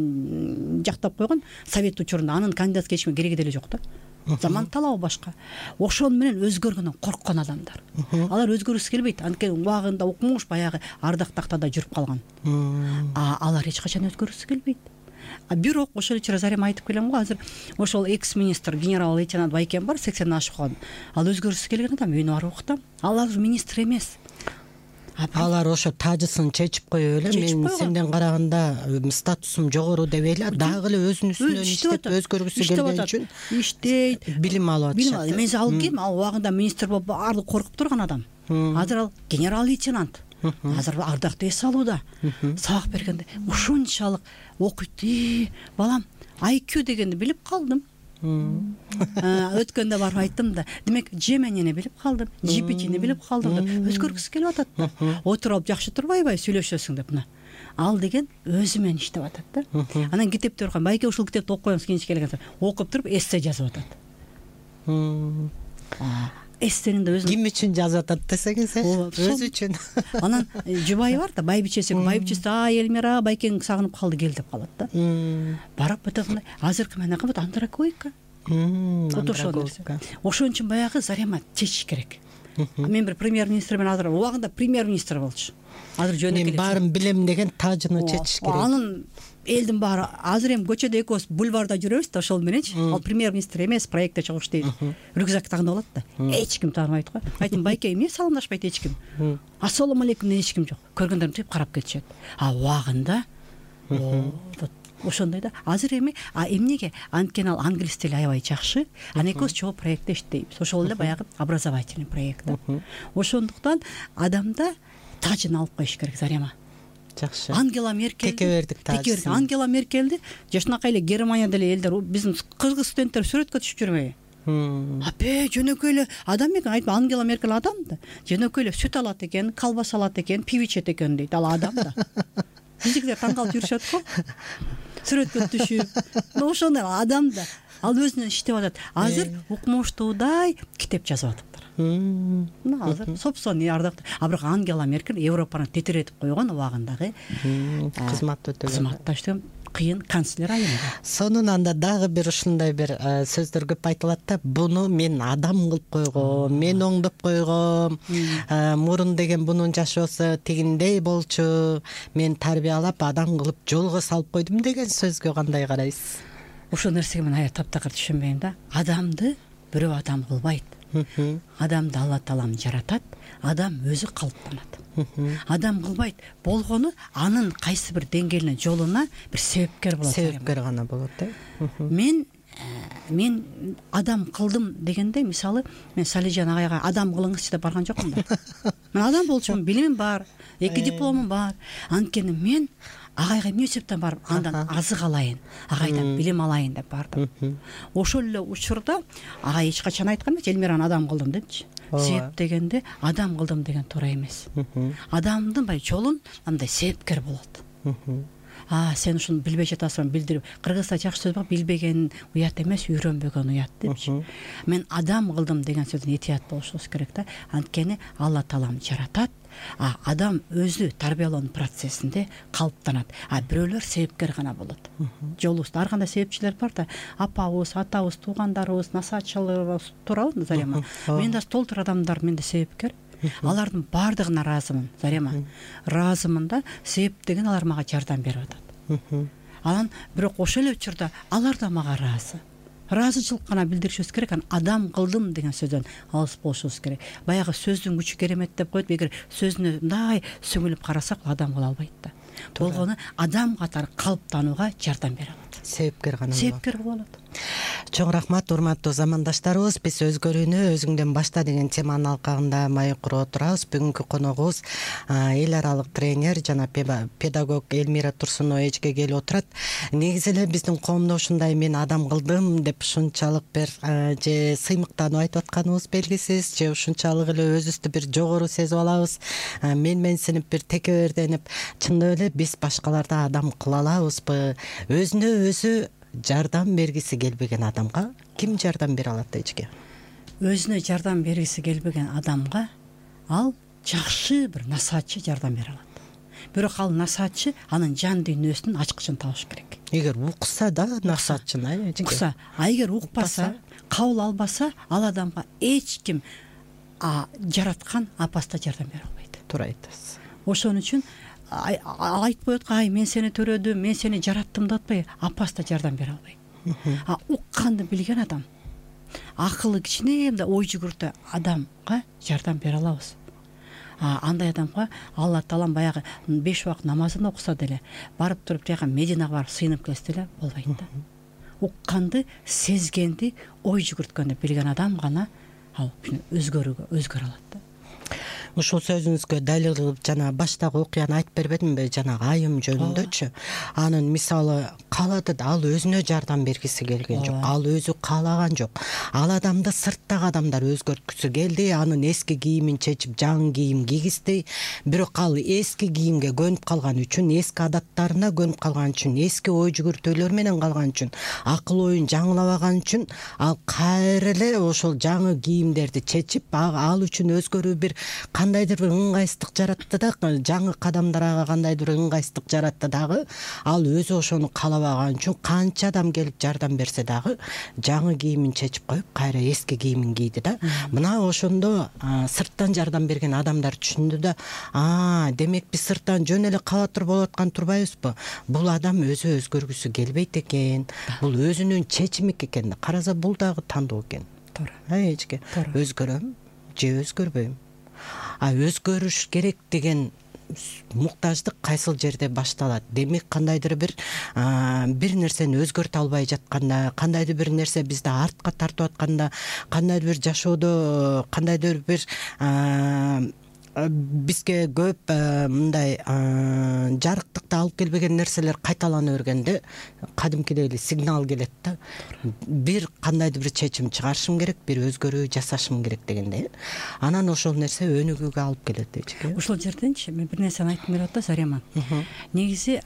жактап койгон совет учурунда, анын кандидатский ичме кереги деле жок да. Заман талабы башка. Ошол менен өзгөргөндөн корккон адамдар. Алар өзгөргүсү келбейт. Анткени убагында укмуш, баягы ардак тактада жүрүп калган. А алар эч качан өзгөргүсү келбейт. А бирок ошол учурда Зарема айтып келем го, азыр ошол экс-министр генерал-лейтенант Байкен бар, сексенден ашып калган. Ал өзгөргүсү келген адам, үйүнө барып уктам. Ал азыр министр эмес. алар ошо тажысын чечип коюп эле мен сенден караганда статусум жогору деп эле дагы эле өзүнүн үстүнөн иштеп өзгөргүсү келген үчүн иштейт, билим алып атышат. Мен алып келем, ал убагында министр болуп баардык коркуп турган адам. Азыр ал генерал лейтенант. Азыр ардактуу эс алууда. Сабак бергенде ушунчалык окуйт. Балам, ай кью дегенди билип калдым. Өткөндө барып айттым да, демек Жеменини билип калдым, джи пи тини билип калдым деп өзгөргүсү келип атат да. Отуруп жакшы турбайбы, сүйлөшөсүң деп мына. Ал деген өзү менен иштеп атат да. Анан китепти окуйм, байке ушул китепти окуп коебуз кийинчи келгенде. Окуп туруп эссе жазып атат. Эссенин да өзү ким үчүн жазып атат десеңиз, өзү үчүн. Анан жубайы бар да, байбичеси, байбичеси а Элмира байкең сагынып калды, кел деп калат да. Барып өтөмүндай азыркы менен кабат андрогойка. Андрогойка. Ошон үчүн баягы Зарема чечиш керек. Мен бир премьер-министр менен азыр убагында премьер-министр болчу. Азыр жөнөкөй эле. Мен баарын билем деген тажыны чечиш керек. Анын элдин баары азыр эми көчөдө экөөбүз бульварда жүрөбүз да, ошол мененчи. Ал премьер-министр эмес, проектте чогуу иштейт. Рюкзак тагынып алат да. Эч ким тааныбайт го. Айттым, байке, эмне саламдашпайт эч ким. Ассалому алейкум эч ким жок. Көргөндөрүм тип карап кетишет. А убагында ошондой да. Азыр эми а эмнеге? Анткени ал англис тили аябай жакшы. Анан экөөбүз чогуу проектте иштейбиз. Ошол эле баягы образовательный проект да. Ошондуктан адамда тажын алып коюш керек, Зарема. Жакшы. Ангела Меркель. Текебердик тажы. Ангела Меркельди жашынакай эле Германияда эле элдер, биздин кыргыз студенттер сүрөткө түшүп жүрбөйбү? Апе, жөнөкөй эле адам экен, айтма, Ангела Меркель адам да. Жөнөкөй эле сүт алат экен, колбаса алат экен, пиво ичет экен дейт, ал адам да. Биздикилер таң калып жүрүшөт го. Сүрөткө түшүп. Ошондой адам да. Ал өзүнөн иштеп атат. Азыр укмуштуудай китеп жазып атыптыр. Мына азыр собственно ардактуу. А бирок Ангела Меркель Европаны тетиретип койгон убагындагы кызмат өтөгөн. Кызматташтым кыйын канцлер айымда. Сонунан да дагы бир ушундай бир сөздөр көп айтылат да, буну мен адам кылып койгом, мен оңдоп койгом, мурун деген бунун жашоосу тигиндей болчу, мен тарбиялап адам кылып жолго салып койдум деген сөзгө кандай карайсыз? Ошол нерсеге мен аябай таптакыр түшүнбөйм да. Адамды бирөө адам кылбайт. Адамды Алла Таалам жаратат, адам өзү калыптанат. Адам кылбайт. Болгону анын кайсы бир деңгээлине, жолуна бир себепкер болот. Себепкер гана болот, э? Мен мен адам кылдым дегенде, мисалы, мен Салижан агайга адам кылыңызчы деп барган жокмун да. Мен адам болчумун, билимим бар, эки дипломум бар. Анткени мен агайга эмне себептен барып андан азык алайын, агайдан билим алайын деп бардым. Ошол эле учурда агай эч качан айткан эмес, Элмираны адам кылдым депчи. Себеп дегенде адам кылдым деген туура эмес. Адамдын бай жолун андай себепкер болот. А сен ушуну билбей жатасың, билдирип. Кыргызда жакшы сөз бар, билбеген уят эмес, үйрөнбөгөн уят депчи. Мен адам кылдым деген сөздөн этият болушубуз керек да. Анткени Алла Таалам жаратат, а адам өзү тарбиялоо процессинде калыптанат. А бирөөлөр себепкер гана болот. Жолубузда ар кандай себепчилер бар да. Апабыз, атабыз, туугандарыбыз, насаатчыларыбыз туурабы, Зарема? Мен да толтур адамдар менде себепкер. Алардын баардыгына ыраазымын, Зарема. Ыраазымын да, себеп деген алар мага жардам берип атат. Анан бирок ошол эле учурда алар да мага ыраазы. Ыраазычылык гана билдиришибиз керек, анан адам кылдым деген сөздөн алыс болушубуз керек. Баягы сөздүн күчү керемет деп коет, эгер сөзүнө мындай сүңүлүп карасак, адам кыла албайт да. Болгону адам катары калыптанууга жардам бере алат. Себепкер гана болот. Себепкер боло алат. Чоң рахмат, урматтуу замандаштарыбыз. Биз өзгөрүүнү өзүңдөн башта деген теманын алкагында маек куруп отурабыз. Бүгүнкү коногубуз эл аралык тренер жана педагог Элмира Турсунова эжге келип отурат. Негизи эле биздин коомдо ушундай мен адам кылдым деп ушунчалык бир же сыймыктанып айтып атканыбыз белгисиз, же ушунчалык эле өзүбүздү бир жогору сезип алабыз, менменсинип бир текеберденип, чындап эле биз башкаларды адам кыла алабызбы? Өзүнө өзү жардам бергиси келбеген адамга ким жардам бере алат эжге? Өзүнө жардам бергиси келбеген адамга ал жакшы бир насаатчы жардам бере алат. Бирок ал насаатчы анын жан дүйнөсүнүн ачкычын табыш керек. Эгер укса да насаатчын, э, эжге. Укса, а эгер укпаса, кабыл албаса, ал адамга эч ким жараткан апаста жардам бере албайт. Туура айтасыз. Ошон үчүн айтпай аткан, ай мен сени төрөдүм, мен сени жараттым деп атпай, апаста жардам бере албайт. А укканды билген адам, акылы кичине ой жүгүртө адамга жардам бере алабыз. андай адамга Алла Таалам баягы беш убакыт намазын окуса деле барып туруп тияка Мединага барып сыйынып келсе деле болбойт да. Укканды, сезгенди, ой жүгүрткөндү билген адам гана ал өзгөрүүгө өзгөрө алат да. Ушул сөзүңүзгө далил кылып жана баштагы окуяны айтып бербедимби, жанагы айым жөнүндөчү. Анын мисалы каалады да, ал өзүнө жардам бергиси келген жок, ал өзү каалаган жок. Ал адамды сырттагы адамдар өзгөрткүсү келди, анын эски кийимин чечип жаңы кийим кийгизди. Бирок ал эски кийимге көнүп калган үчүн, эски адаттарына көнүп калган үчүн, эски ой жүгүртүүлөр менен калган үчүн, акыл оюн жаңылабаган үчүн ал кайра эле ошол жаңы кийимдерди чечип, ал үчүн өзгөрүү бир кандайдыр бир ыңгайсыздык жаратты да, жаңы кадамдарга кандайдыр бир ыңгайсыздык жаратты дагы. Ал өзү ошону каалабаган үчүн канча адам келип жардам берсе дагы жаңы кийимин чечип коюп, кайра эски кийимин кийди да. Мына ошондо сырттан жардам берген адамдар түшүндү да, а, демек биз сырттан жөн эле каала туруп болуп аткан турбайбызбы? Бул адам өзү өзгөргүсү келбейт экен. Бул өзүнүн чечими экен. Караса бул дагы тандоо экен. Туура. Эчке өзгөрөм же өзгөрбөйм. А өзгөрүш керек деген муктаждык кайсыл жерде башталат? Демек кандайдыр бир бир нерсени өзгөртө албай жатканда, кандайдыр бир нерсе бизди артка тартып атканда, кандайдыр бир жашоодо кандайдыр бир бизге көп мындай жарыктыкты алып келбеген нерселер кайталана бергенде кадимкидей эле сигнал келет да. Бир кандайдыр бир чечим чыгарышым керек, бир өзгөрүү жасашым керек дегенде. Анан ошол нерсе өнүгүүгө алып келет дейчи. Ошол жерденчи мен бир нерсени айткым келип атат Зарема. Негизи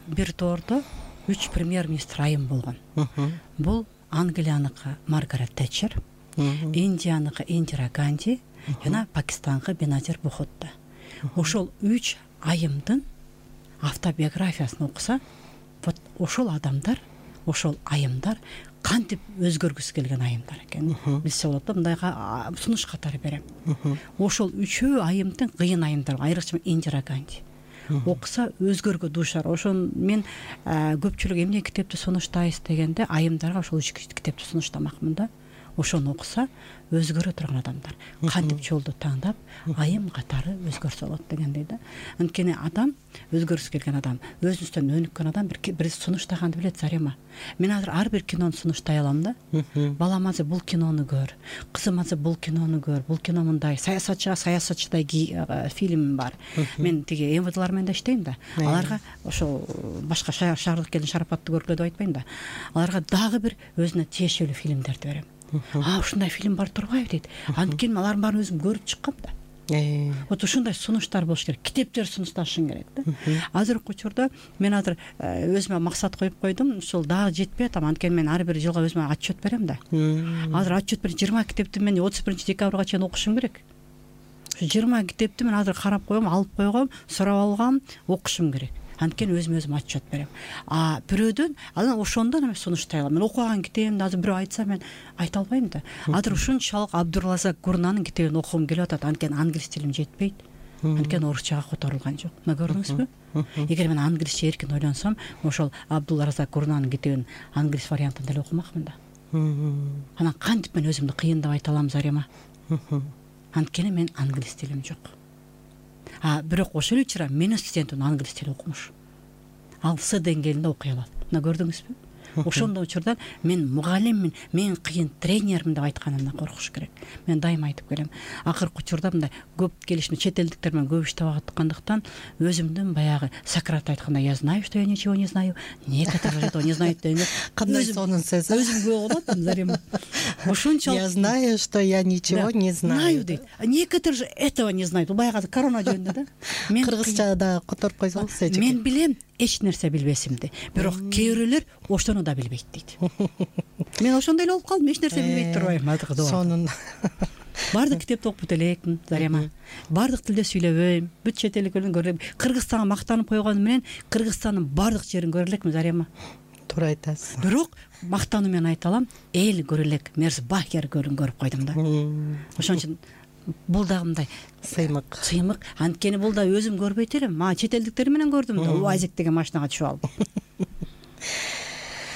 бир тоордо үч премьер-министр айым болгон. Бул Англияныкы Маргарет Тэтчер, Индияныкы Индира Ганди жана Пакистанкы Беназир Бхутто. Ошол үч айымдын автобиографиясын окуса, вот ошол адамдар, ошол айымдар кантип өзгөргүсү келген айымдар экен. Билсе болот да, мындайга сунуш катары берем. Ошол үчөө айымдын кыйын айымдар, айрыкча Индира Ганди. Окуса өзгөргө дуушар. Ошон мен көпчүлүк эмне китепти сунуштайсыз дегенде айымдарга ошол үч китепти сунуштамакмын да. Ошону окуса өзгөрө турган адамдар кантип жолду тандап айым катары өзгөрсө болот дегендей да. Анткени адам, өзгөрүсү келген адам, өзүнүстөн өнүккөн адам бир бир сунуштаганды билет Зарема. Мен азыр ар бир кинону сунуштай алам да. Балам азыр бул кинону көр, кызым азыр бул кинону көр, бул кино мындай, саясатчыга саясатчыдай фильм бар. Мен тиги эм вэ дылар менен да иштейм да. Аларга ошол башка шаардык келин шарапатты көргүлө деп айтпайм да. Аларга дагы бир өзүнө тиешелүү фильмдерди берем. А, ушундай фильм бар турбайбы дейт. Анткени алардын баарын өзүм көрүп чыккам да. Вот ушундай сунуштар болуш керек. Китептер сунушташың керек да. Азыркы учурда мен азыр өзүмө максат коюп койдум. Ушул дагы жетпей атам. Анткени мен ар бир жылга өзүмө отчет берем да. Азыр отчет берип жыйырма китепти мен отуз биринчи декабрга чейин окушум керек. Ушу жыйырма китепти мен азыр карап койгом, алып койгом, сурап алгам, окушум керек. Анткени өзүм өзүм отчет берем. А бирөөдөн анан ошондон эме сунуштай алам. Мен окуган китебимди азыр бирөө айтса мен айта албайм да. Азыр ушунчалык Абдурразак Гурнанын китебин окугум келип атат. Анткени англис тилим жетпейт. Анткени орусчага которулган жок. Мына көрдүңүзбү? Эгер мен англисче эркин ойлонсом, ошол Абдулразак Гурнанын китебин англис вариантында эле окумакмын да. Анан кантип мен өзүмдү кыйындап айта алам Зарема? Анткени мен англис тилим жок. А бирок ошол учура менин студентим англис тили окумуш. Ал С деңгээлинде окуй алат. Мына көрдүңүзбү? Ошондой учурда мен мугалиммин, мен кыйын тренермин деп айтканымдан коркуш керек. Мен дайыма айтып келем. Акыркы учурда мындай көп келишим чет элдиктер менен көп иштеп аткандыктан өзүмдүн баягы Сократ айткандай, я знаю, что я ничего не знаю, некоторые этого не знают дегенде кандай сонун сөз. Өзүмгө болот Зарема. Ошончолук я знаю, что я ничего не знаю дейт. Некоторые же этого не знают. Бул баягы корона жөнүндө да. Мен кыргызчада которуп койсоңуз эче. Мен билем эч нерсе билбесимди. Бирок кээ бирөөлөр ошону да билбейт дейт. Мен ошондой эле болуп калдым, эч нерсе билбейт турбайм азыркы. Сонун. Бардык китепти окуп элекмин Зарема. Бардык тилде сүйлөбөйм. Бүт чет элдиктерин көрөм. Кыргызстанга мактанып койгону менен Кыргызстандын бардык жерин көрө элекмин Зарема. Туура айтасыз. Бирок мактануу менен айта алам, эл көрө элек Мерзбахер көлүн көрүп койдум да. Ошон үчүн бул дагы мындай сыймык. Сыймык. Анткени бул да өзүм көрбөйт элем. Ма чет элдиктер менен көрдүм да. Уазик деген машинага түшүп алып.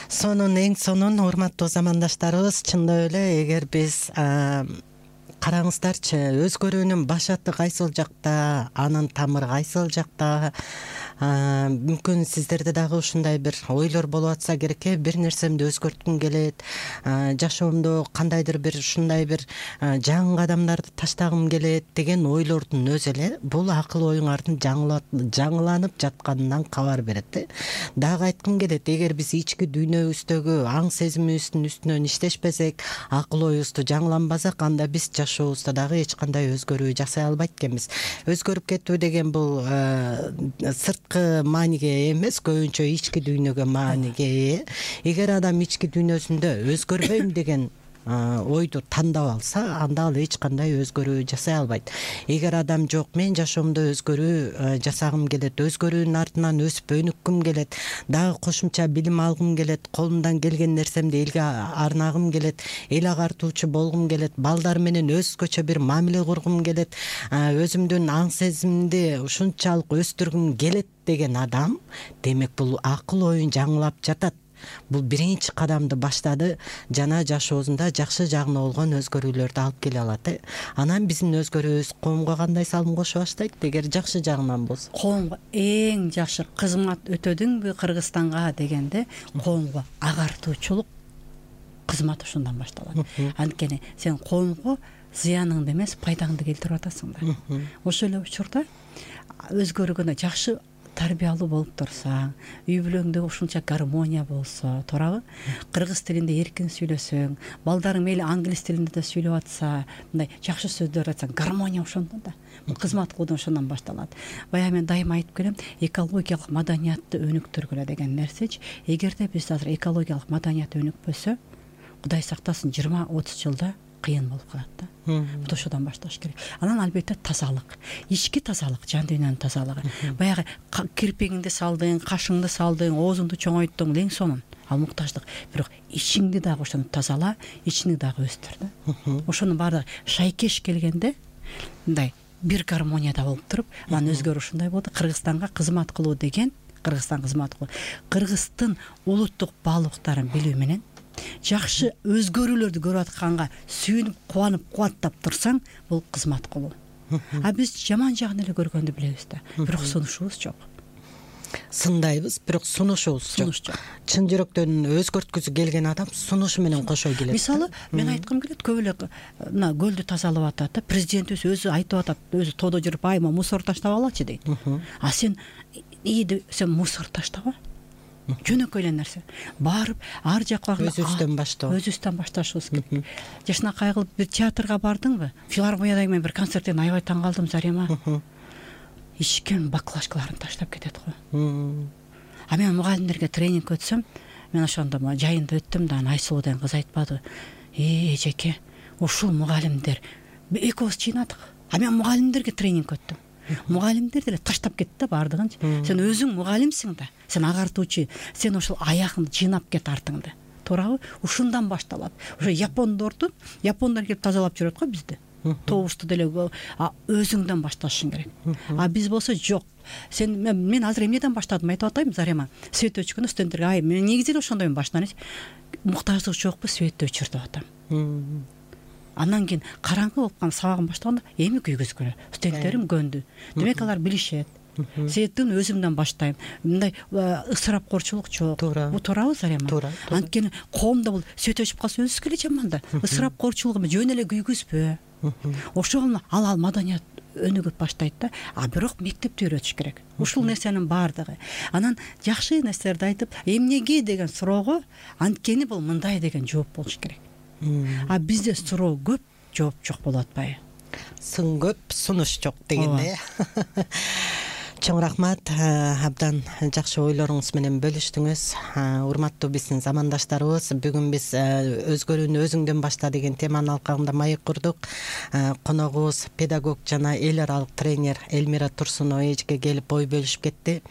Сонун, эң сонун урматтуу замандаштарыбыз, чындап эле эгер биз караңыздарчы, өзгөрүүнүн башаты кайсыл жакта, анын тамыры кайсыл жакта? Мүмкүн сиздерде дагы ушундай бир ойлор болуп атса керек э, бир нерсемди өзгөрткүм келет, жашоомдо кандайдыр бир ушундай бир жаңы кадамдарды таштагым келет деген ойлордун өзү эле бул акыл оюңардын жаңыланып жатканынан кабар берет э. Дагы айткым келет, эгер биз ички дүйнөбүздөгү аң сезимибиздин үстүнөн иштешпесек, акыл оюбузду жаңыланбасак, анда биз жашообузда дагы эч кандай өзгөрүү жасай албайт экенбиз. Өзгөрүп кетүү деген бул сырткы мааниге эмес, көбүнчө ички дүйнөгө мааниге ээ. Эгер адам ички дүйнөсүндө өзгөрбөйм деген ойду тандап алса, анда ал эч кандай өзгөрүү жасай албайт. Эгер адам жок, мен жашоомдо өзгөрүү жасагым келет, өзгөрүүнүн артынан өсүп өнүккүм келет, дагы кошумча билим алгым келет, колумдан келген нерсемди элге арнагым келет, эл агартуучу болгум келет, балдар менен өзгөчө бир мамиле кургум келет, өзүмдүн аң сезимимди ушунчалык өстүргүм келет деген адам, демек бул акыл оюн жаңылап жатат. Бул биринчи кадамды баштады жана жашоосунда жакшы жагына болгон өзгөрүүлөрдү алып келе алат. Анан биздин өзгөрүүбүз коомго кандай салым кошо баштайт? Эгер жакшы жагынан болсо, коомго эң жакшы кызмат өтөдүңбү Кыргызстанга дегенде, коомго агартуучулук кызмат ушундан башталат. Анткени сен коомго зыяныңды эмес, пайдаңды келтирип атасың да. Ошол эле учурда өзгөргөндө жакшы тарбиялуу болуп турсаң, үй бүлөңдө ушунча гармония болсо, туурабы? Кыргыз тилинде эркин сүйлөсөң, балдарың мейли англис тилинде да сүйлөп атса, мындай жакшы сөздөр айтсаң, гармония ошондо да. Кызмат кылуудан ошондон башталат. Баягы мен дайыма айтып келем, экологиялык маданиятты өнүктүргүлө деген нерсечи. Эгерде биз азыр экологиялык маданият өнүкпөсө, Кудай сактасын, жыйырма отуз жылда кыйын болуп калат да. Бул ошодон башташ керек. Анан албетте тазалык, ички тазалык, жан дүйнөнүн тазалыгы. Баягы кирпигиңди салдың, кашыңды салдың, оозуңду чоңойттуң, лең сонун. Ал муктаждык. Бирок ичиңди дагы ошону тазала, ичиңди дагы өстүр да. Ошонун баардыгы шайкеш келгенде мындай бир гармонияда болуп туруп, анан өзгөрүү ушундай болду. Кыргызстанга кызмат кылуу деген, Кыргызстан кызмат кылуу, Кыргыздын улуттук баалуулуктарын билүү менен жакшы өзгөрүүлөрдү көрүп атканга сүйүнүп, кубанып, кубаттап турсаң, бул кызмат кылуу. А биз жаман жагын эле көргөндү билебиз да, бирок сунушубуз жок. Сындайбыз, бирок сунушубуз жок. Чын жүрөктөн өзгөрткүсү келген адам сунушу менен кошо келет. Мисалы, мен айткым келет, көп эле мына көлдү тазалап атат, президентибиз өзү айтып атат, өзү тоодо жүрүп, айма мусор таштап алачы дейт. А сен ийди, сен мусор таштаба. Жөнөкөй эле нерсе. Барып, ар жакка өзүбүздөн баштоо. Өзүбүздөн башташыбыз керек. Жашынакай кылып бир театрга бардыңбы? Филармонияда мен бир концерттен аябай таң калдым, Зарема. Ичкен баклажкаларын таштап кетет го. А мен мугалимдерге тренинг өтсөм, мен ошондо жайында өттүм да, Айсулуу деген кыз айтпады. Э, эжеке, ушул мугалимдер экөөбүз чыйнадык. А мен мугалимдерге тренинг өттүм. Мугалимдер деле таштап кетти да баардыгынчы. Сен өзүң мугалимсиң да, сен агартуучу, сен ошол аягыңды жыйнап кет артыңды. Туурабы? Ушундан башталат. Ошо япондорду, япондар келип тазалап жүрөт го бизди. Тообузду деле өзүңдөн башташың керек. А биз болсо жок. Сен мен, мен азыр эмнеден баштадым айтып атайм, Зарема. Свет өчкөндө студенттерге, ай, мен негизи эле ошондойм башынан. Муктаждык жокпу, светти өчүр деп атам. Андан кийин караңгы болуп калып сабагым баштаганда эми күйгүзгүлө. Студенттерим көндү. Демек алар билишет. Светтин өзүмдөн баштайм. Мындай ысырапкорчулук жок. Бул туурабы, Зарема? Анткени коомдо бул свет өчүп калса өзүбүзгө эле жаман да. Ысырапкорчулугу жөн эле күйгүзбө. Ошол ал ал маданият өнүгүп баштайт да. А бирок мектепте үйрөтүш керек. Ушул нерсенин баардыгы. Анан жакшы нерселерди айтып, эмнеге деген суроого анткени бул мындай деген жооп болуш керек. А бизде суроо көп, жооп жок болуп атпайбы? Сын көп, сунуш жок дегенде. Чоң рахмат, абдан жакшы ойлоруңуз менен бөлүштүңүз. Урматтуу биздин замандаштарыбыз, бүгүн биз өзгөрүүнү өзүңдөн башта деген теманын алкагында маек курдук. Коногубуз педагог жана эл аралык тренер Элмира Турсунова эжеке келип ой бөлүшүп кетти.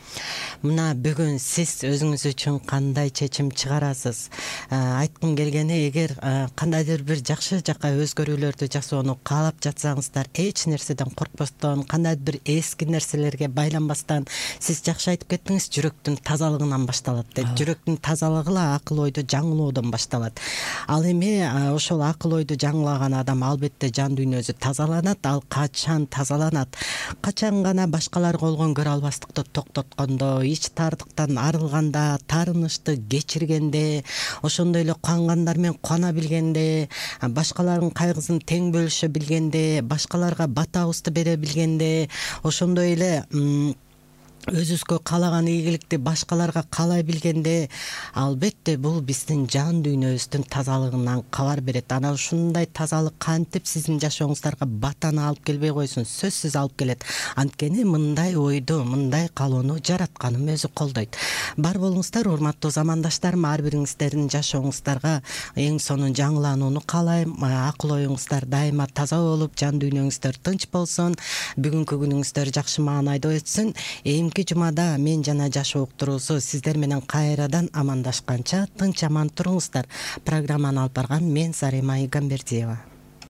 Мына бүгүн сиз өзүңүз үчүн кандай чечим чыгарасыз? Айткым келгени, эгер кандайдыр бир жакшы жака өзгөрүүлөрдү жасоону каалап жатсаңыздар, эч нерседен коркпостон, кандайдыр бир эски нерселерге байланып баштанбастан сиз жакшы айтып кеттиңиз, жүрөктүн тазалыгынан башталат деп. Жүрөктүн тазалыгы эле акыл ойду жаңылоодон башталат. Ал эми ошол акыл ойду жаңылаган адам албетте жан дүйнөсү тазаланат. Ал качан тазаланат? Качан гана башкаларга болгон көрө албастыкты токтоткондо, ич тардыктан арылганда, таарынычты кечиргенде, ошондой эле куангандар менен куана билгенде, башкалардын кайгысын тең бөлүшө билгенде, башкаларга батабызды бере билгенде, ошондой эле өзүбүзгө каалаган ийгиликти башкаларга каалай билгенде, албетте бул биздин жан дүйнөбүздүн тазалыгынан кабар берет. Анан ушундай тазалык кантип сиздин жашооңуздарга батаны алып келбей койсун, сөзсүз алып келет. Анткени мындай ойду, мындай каалоону жаратканым өзү колдойт. Бар болуңуздар, урматтуу замандаштарым, ар бириңиздердин жашооңуздарга эң сонун жаңыланууну каалайм. Акыл оюңуздар дайыма таза болуп, жан дүйнөңүздөр тынч болсун, бүгүнкү күнүңүздөр жакшы маанайда өтсүн. Эмки жумада мен жана жашоо уктуруусу сиздер менен кайрадан амандашканча тынч аман туруңуздар. Программаны алып барган мен Зарема Игамбердиева.